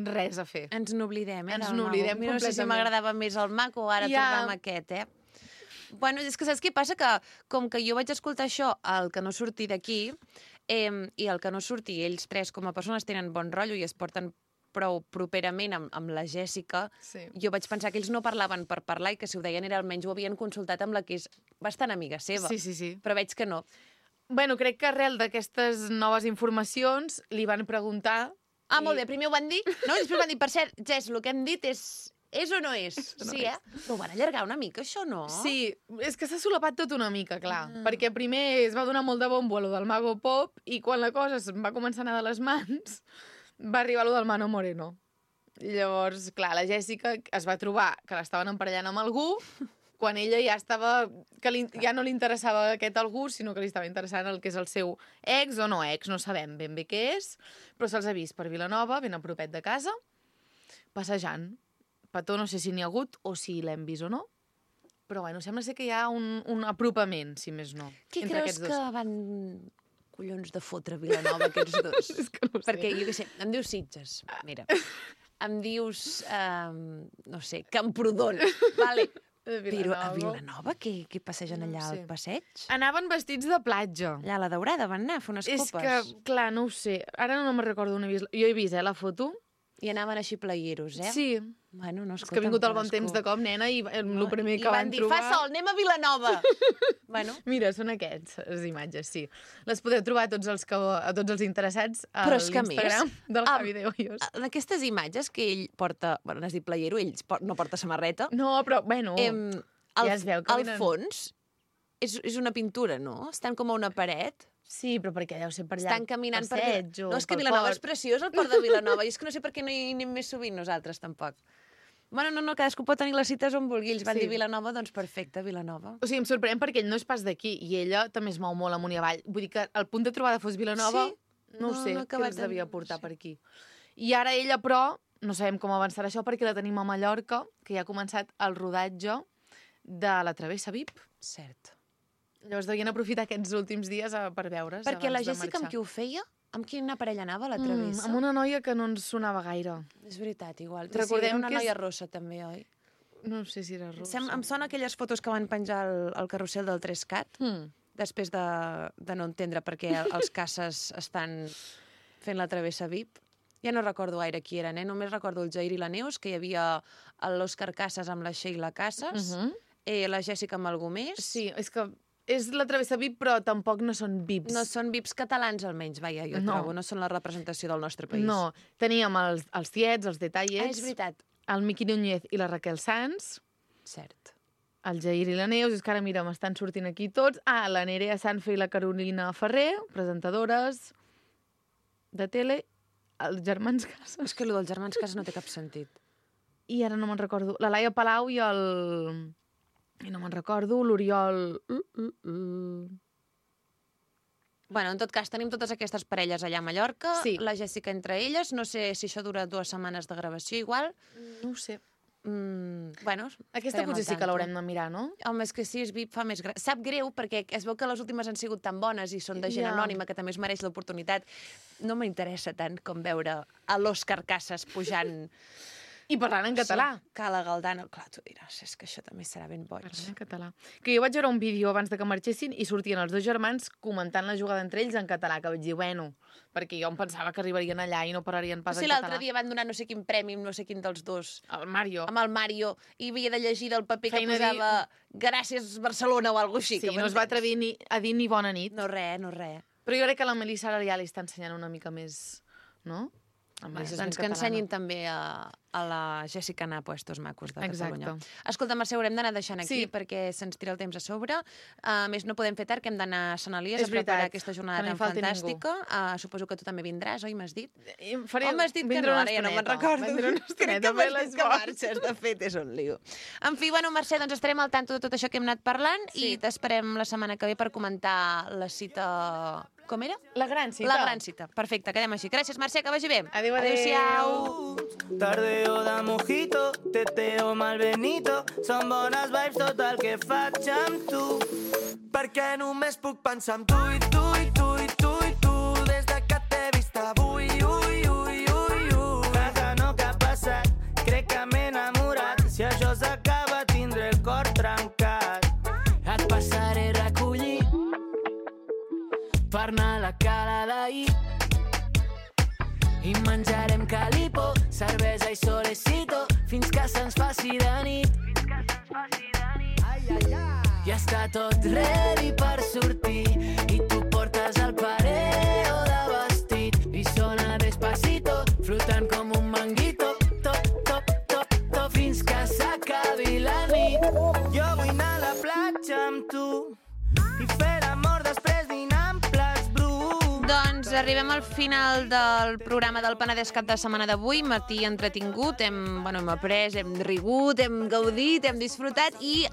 res a fer. Ens n'oblidem, Ens n'oblidem completament. No sé si m'agradava més el mag o ara tornar amb aquest, eh? Bueno, és que saps què passa? Que com que jo vaig escoltar això, el que no surti d'aquí, i el que no surti, ells tres com a persones tenen bon rotllo i es porten prou properament amb la Jessica, sí. Jo vaig pensar que ells no parlaven per parlar i que si ho deien era almenys ho havien consultat amb la que és bastant amiga seva. Sí. Però veig que no. Bueno, crec que arrel d'aquestes noves informacions li van preguntar... Ah, molt bé, primer ho van dir, no? I després van dir, per cert, Jess, el que hem dit és o no és? Sí, eh? Però ho van allargar una mica, això, no? Sí, és que s'ha solapat tot una mica, clar. Perquè primer es va donar molt de bombo a lo del Mago Pop i quan la cosa va començar a anar de les mans va arribar lo del Manu Moreno. Llavors, clar, la Jessica es va trobar que l'estaven emparellant amb algú quan ella ja estava... que ja no li interessava aquest algú, sinó que li estava interessant el que és el seu ex o no ex, no sabem ben bé què és, però se'ls ha vist per Vilanova, ben a propet de casa, passejant. Petó no sé si n'hi ha hagut o si l'hem vist o no, però bueno, sembla ser que hi ha un apropament, si més no. Qui entre creus aquests dos. que van collons de fotre Vilanova, aquests dos? És que no ho sé. Perquè, jo què sé, em dius Sitges, mira. Em dius, no sé, Camprodon, vale. Però a Vilanova, què passegen allà al passeig? Anaven vestits de platja. Allà a la Daurada van anar a fer unes copes. És que, clar, no ho sé. Ara no me'n recordo on he vist. Jo he vist, la foto. I anaven així playeros, eh? Sí. Bueno, no, és que ha vingut el bon temps de cop, nena, i el primer que van trobar... I van dir, fa sol, anem a Vilanova! Bueno. Mira, són les imatges, sí. Les podeu trobar a tots els interessats a l'Instagram del Javi de Hoyos. En aquestes imatges que ell porta... Bueno, n'has dit playero, ell no porta samarreta. No, però, bueno, ja es veu que al fons és una pintura, no? Estan com a una paret. Sí, però perquè deu ser per allà. Estan caminant per passeig o no, és que Vilanova és preciós, el port de Vilanova, i és que no sé per què no hi anem més sovint nosaltres, tampoc. Bueno, no, cadascú pot tenir les cites on vulgui. Ells van dir Vilanova, doncs perfecte, Vilanova. O sigui, em sorprèn perquè ell no és pas d'aquí, i ella també es mou molt amunt i avall. Vull dir que el punt de trobada fos Vilanova, no ho sé, què els devia portar per aquí. I ara ella, però, no sabem com avançarà això perquè la tenim a Mallorca, que ja ha començat el rodatge de la Travessa VIP. Cert. Llavors devien aprofitar aquests últims dies per veure's Perquè abans la de Jessica marxar. amb qui ho feia? Amb quina parella anava, la Travessa? Amb una noia que no ens sonava gaire. És veritat, igual. Recordem sí, una que és- noia rossa, també, oi? No sé si era rossa. Em sona aquelles fotos que van penjar al carrusel del 3CAT, després de no entendre per què els caces estan fent la Travessa VIP. Ja no recordo gaire qui eren, només recordo el Jair i la Neus, que hi havia l'Òscar Casas amb la Sheila Casas, la Jessica amb algú més. Sí, és que és la Travessa VIP, però tampoc no són VIPs. No són VIPs catalans, almenys, vaja, jo trobo. No són la representació del nostre país. No, teníem els tiets, els detallets... És veritat. El Miqui Núñez i la Raquel Sanz. Cert. El Jair i la Neus, és que ara, mira, m'estan sortint aquí tots. La Nerea Sanfe i la Carolina Ferrer, presentadores de tele. Els germans Casas. És que allò dels germans Casas no té cap sentit. I ara no me'n recordo. La Laia Palau i el... I no me'n recordo, l'Oriol... Bueno, en tot cas, tenim totes aquestes parelles allà a Mallorca, Sí. la Jessica entre elles, no sé si això dura 2 setmanes de gravació igual. No ho sé. Bueno, Aquesta potser sí que l'haurem de mirar, no? Home, és que sí, és VIP, fa més... Sap greu, perquè es veu que les últimes han sigut tan bones i són de gent Ja. anònima, que també es mereix l'oportunitat. No m'interessa tant com veure a l'Òscar Casas pujant... I parlant en català. Sí, Cala Galdano. Clar, tu diràs, és que això també serà ben boig. Parlant en català. Que jo vaig veure un vídeo abans de que marxessin i sortien els dos germans comentant la jugada entre ells en català, que vaig dir, bueno, perquè jo em pensava que arribarien allà i no parlarien pas Sí, en català. l'altre dia van donar no sé quin premi, no sé quin dels dos. El Mario. Amb el Mario, i havia de llegir del paper que Feina posava Gràcies Barcelona o alguna cosa així. Sí, no es va atrevir a dir ni bona nit. No res, no res. Però jo crec que la Melissa ara ja li està ensenyant una mica més, no? Doncs que ensenyin també a la Jessica anar a puestos macos de Exacte. Catalunya. Escolta, Mercè, haurem d'anar deixant aquí Sí. perquè se'ns tira el temps a sobre. A més, no podem fer tard, que hem d'anar a Sant Elies És a preparar veritat, aquesta que jornada no hi tan falti fantàstica. Suposo que tu també vindràs, oi? M'has dit? Faré... Oh, m'has dit que no, ara ja no me'n recordo. Vindré una Crec estoneta, que fer m'has les dit que marxes, de fet, és un lío. En fi, bueno, Mercè, doncs estarem al tanto de tot això que hem anat parlant i t'esperem la setmana que ve per comentar la cita... Com era? La gran cita. La gran cita. Perfecte, quedem així. Gràcies, Mercè, que vagi bé. Adéu, Adéu-siau. Tardeo de mojito, teteo malbenito, són bones vibes tot el que faig amb tu. Perquè només puc pensar en tu i tu i tu i tu i tu, des de que t'he vist avui, ui, ui, ui, ui. Vaja, no que ha passat, crec que m'he enamorat, si això s'acaba tindré el cor trencat. Et passaré a recollir per anar a la cala d'ahir i menjarem calipo, cervesa i solecito fins que se'ns faci de nit. Ja està tot ready per sortir i tu portes el pareo de vestit i sona despacito, flotant com un manguito, top, top, top, top, fins que s'acabi la nit. Jo vull anar a la platja amb tu i fer l'amor després dinar amb plats bruts. Doncs arribem al final del programa del Penedès cap de setmana d'avui, matí entretingut, hem après, hem rigut, hem gaudit, hem disfrutat i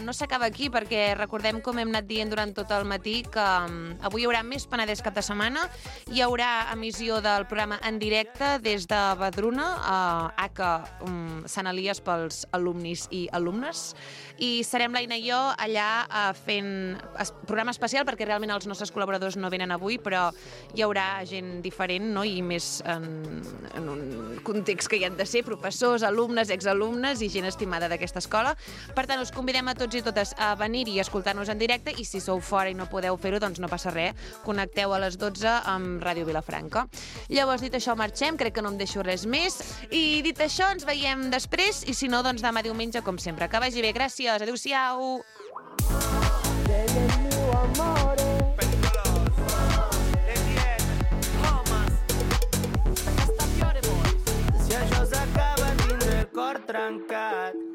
no s'acaba aquí perquè recordem, com hem anat dient durant tot el matí, que avui hi haurà més Penedès cap de setmana, hi haurà emissió del programa en directe des de Badruna, Sant Elies pels alumnis i alumnes, i serem l'Aina i jo allà fent programa especial perquè realment els nostres col·laboradors no venen avui, però hi haurà gent diferent, no? I més en un context que hi han de ser professors, alumnes, exalumnes i gent estimada d'aquesta escola. Per tant, us convidem a tots i totes a venir-hi i escoltar-nos en directe, i si sou fora i no podeu fer-ho, doncs no passa res, connecteu a les 12 amb Ràdio Vilafranca. Llavors, dit això, marxem, crec que no em deixo res més, i dit això, ens veiem després, i si no, doncs demà diumenge, com sempre. Que vagi bé, gràcies, adéu-siau! Si això s'acaba tindré el cor trencat.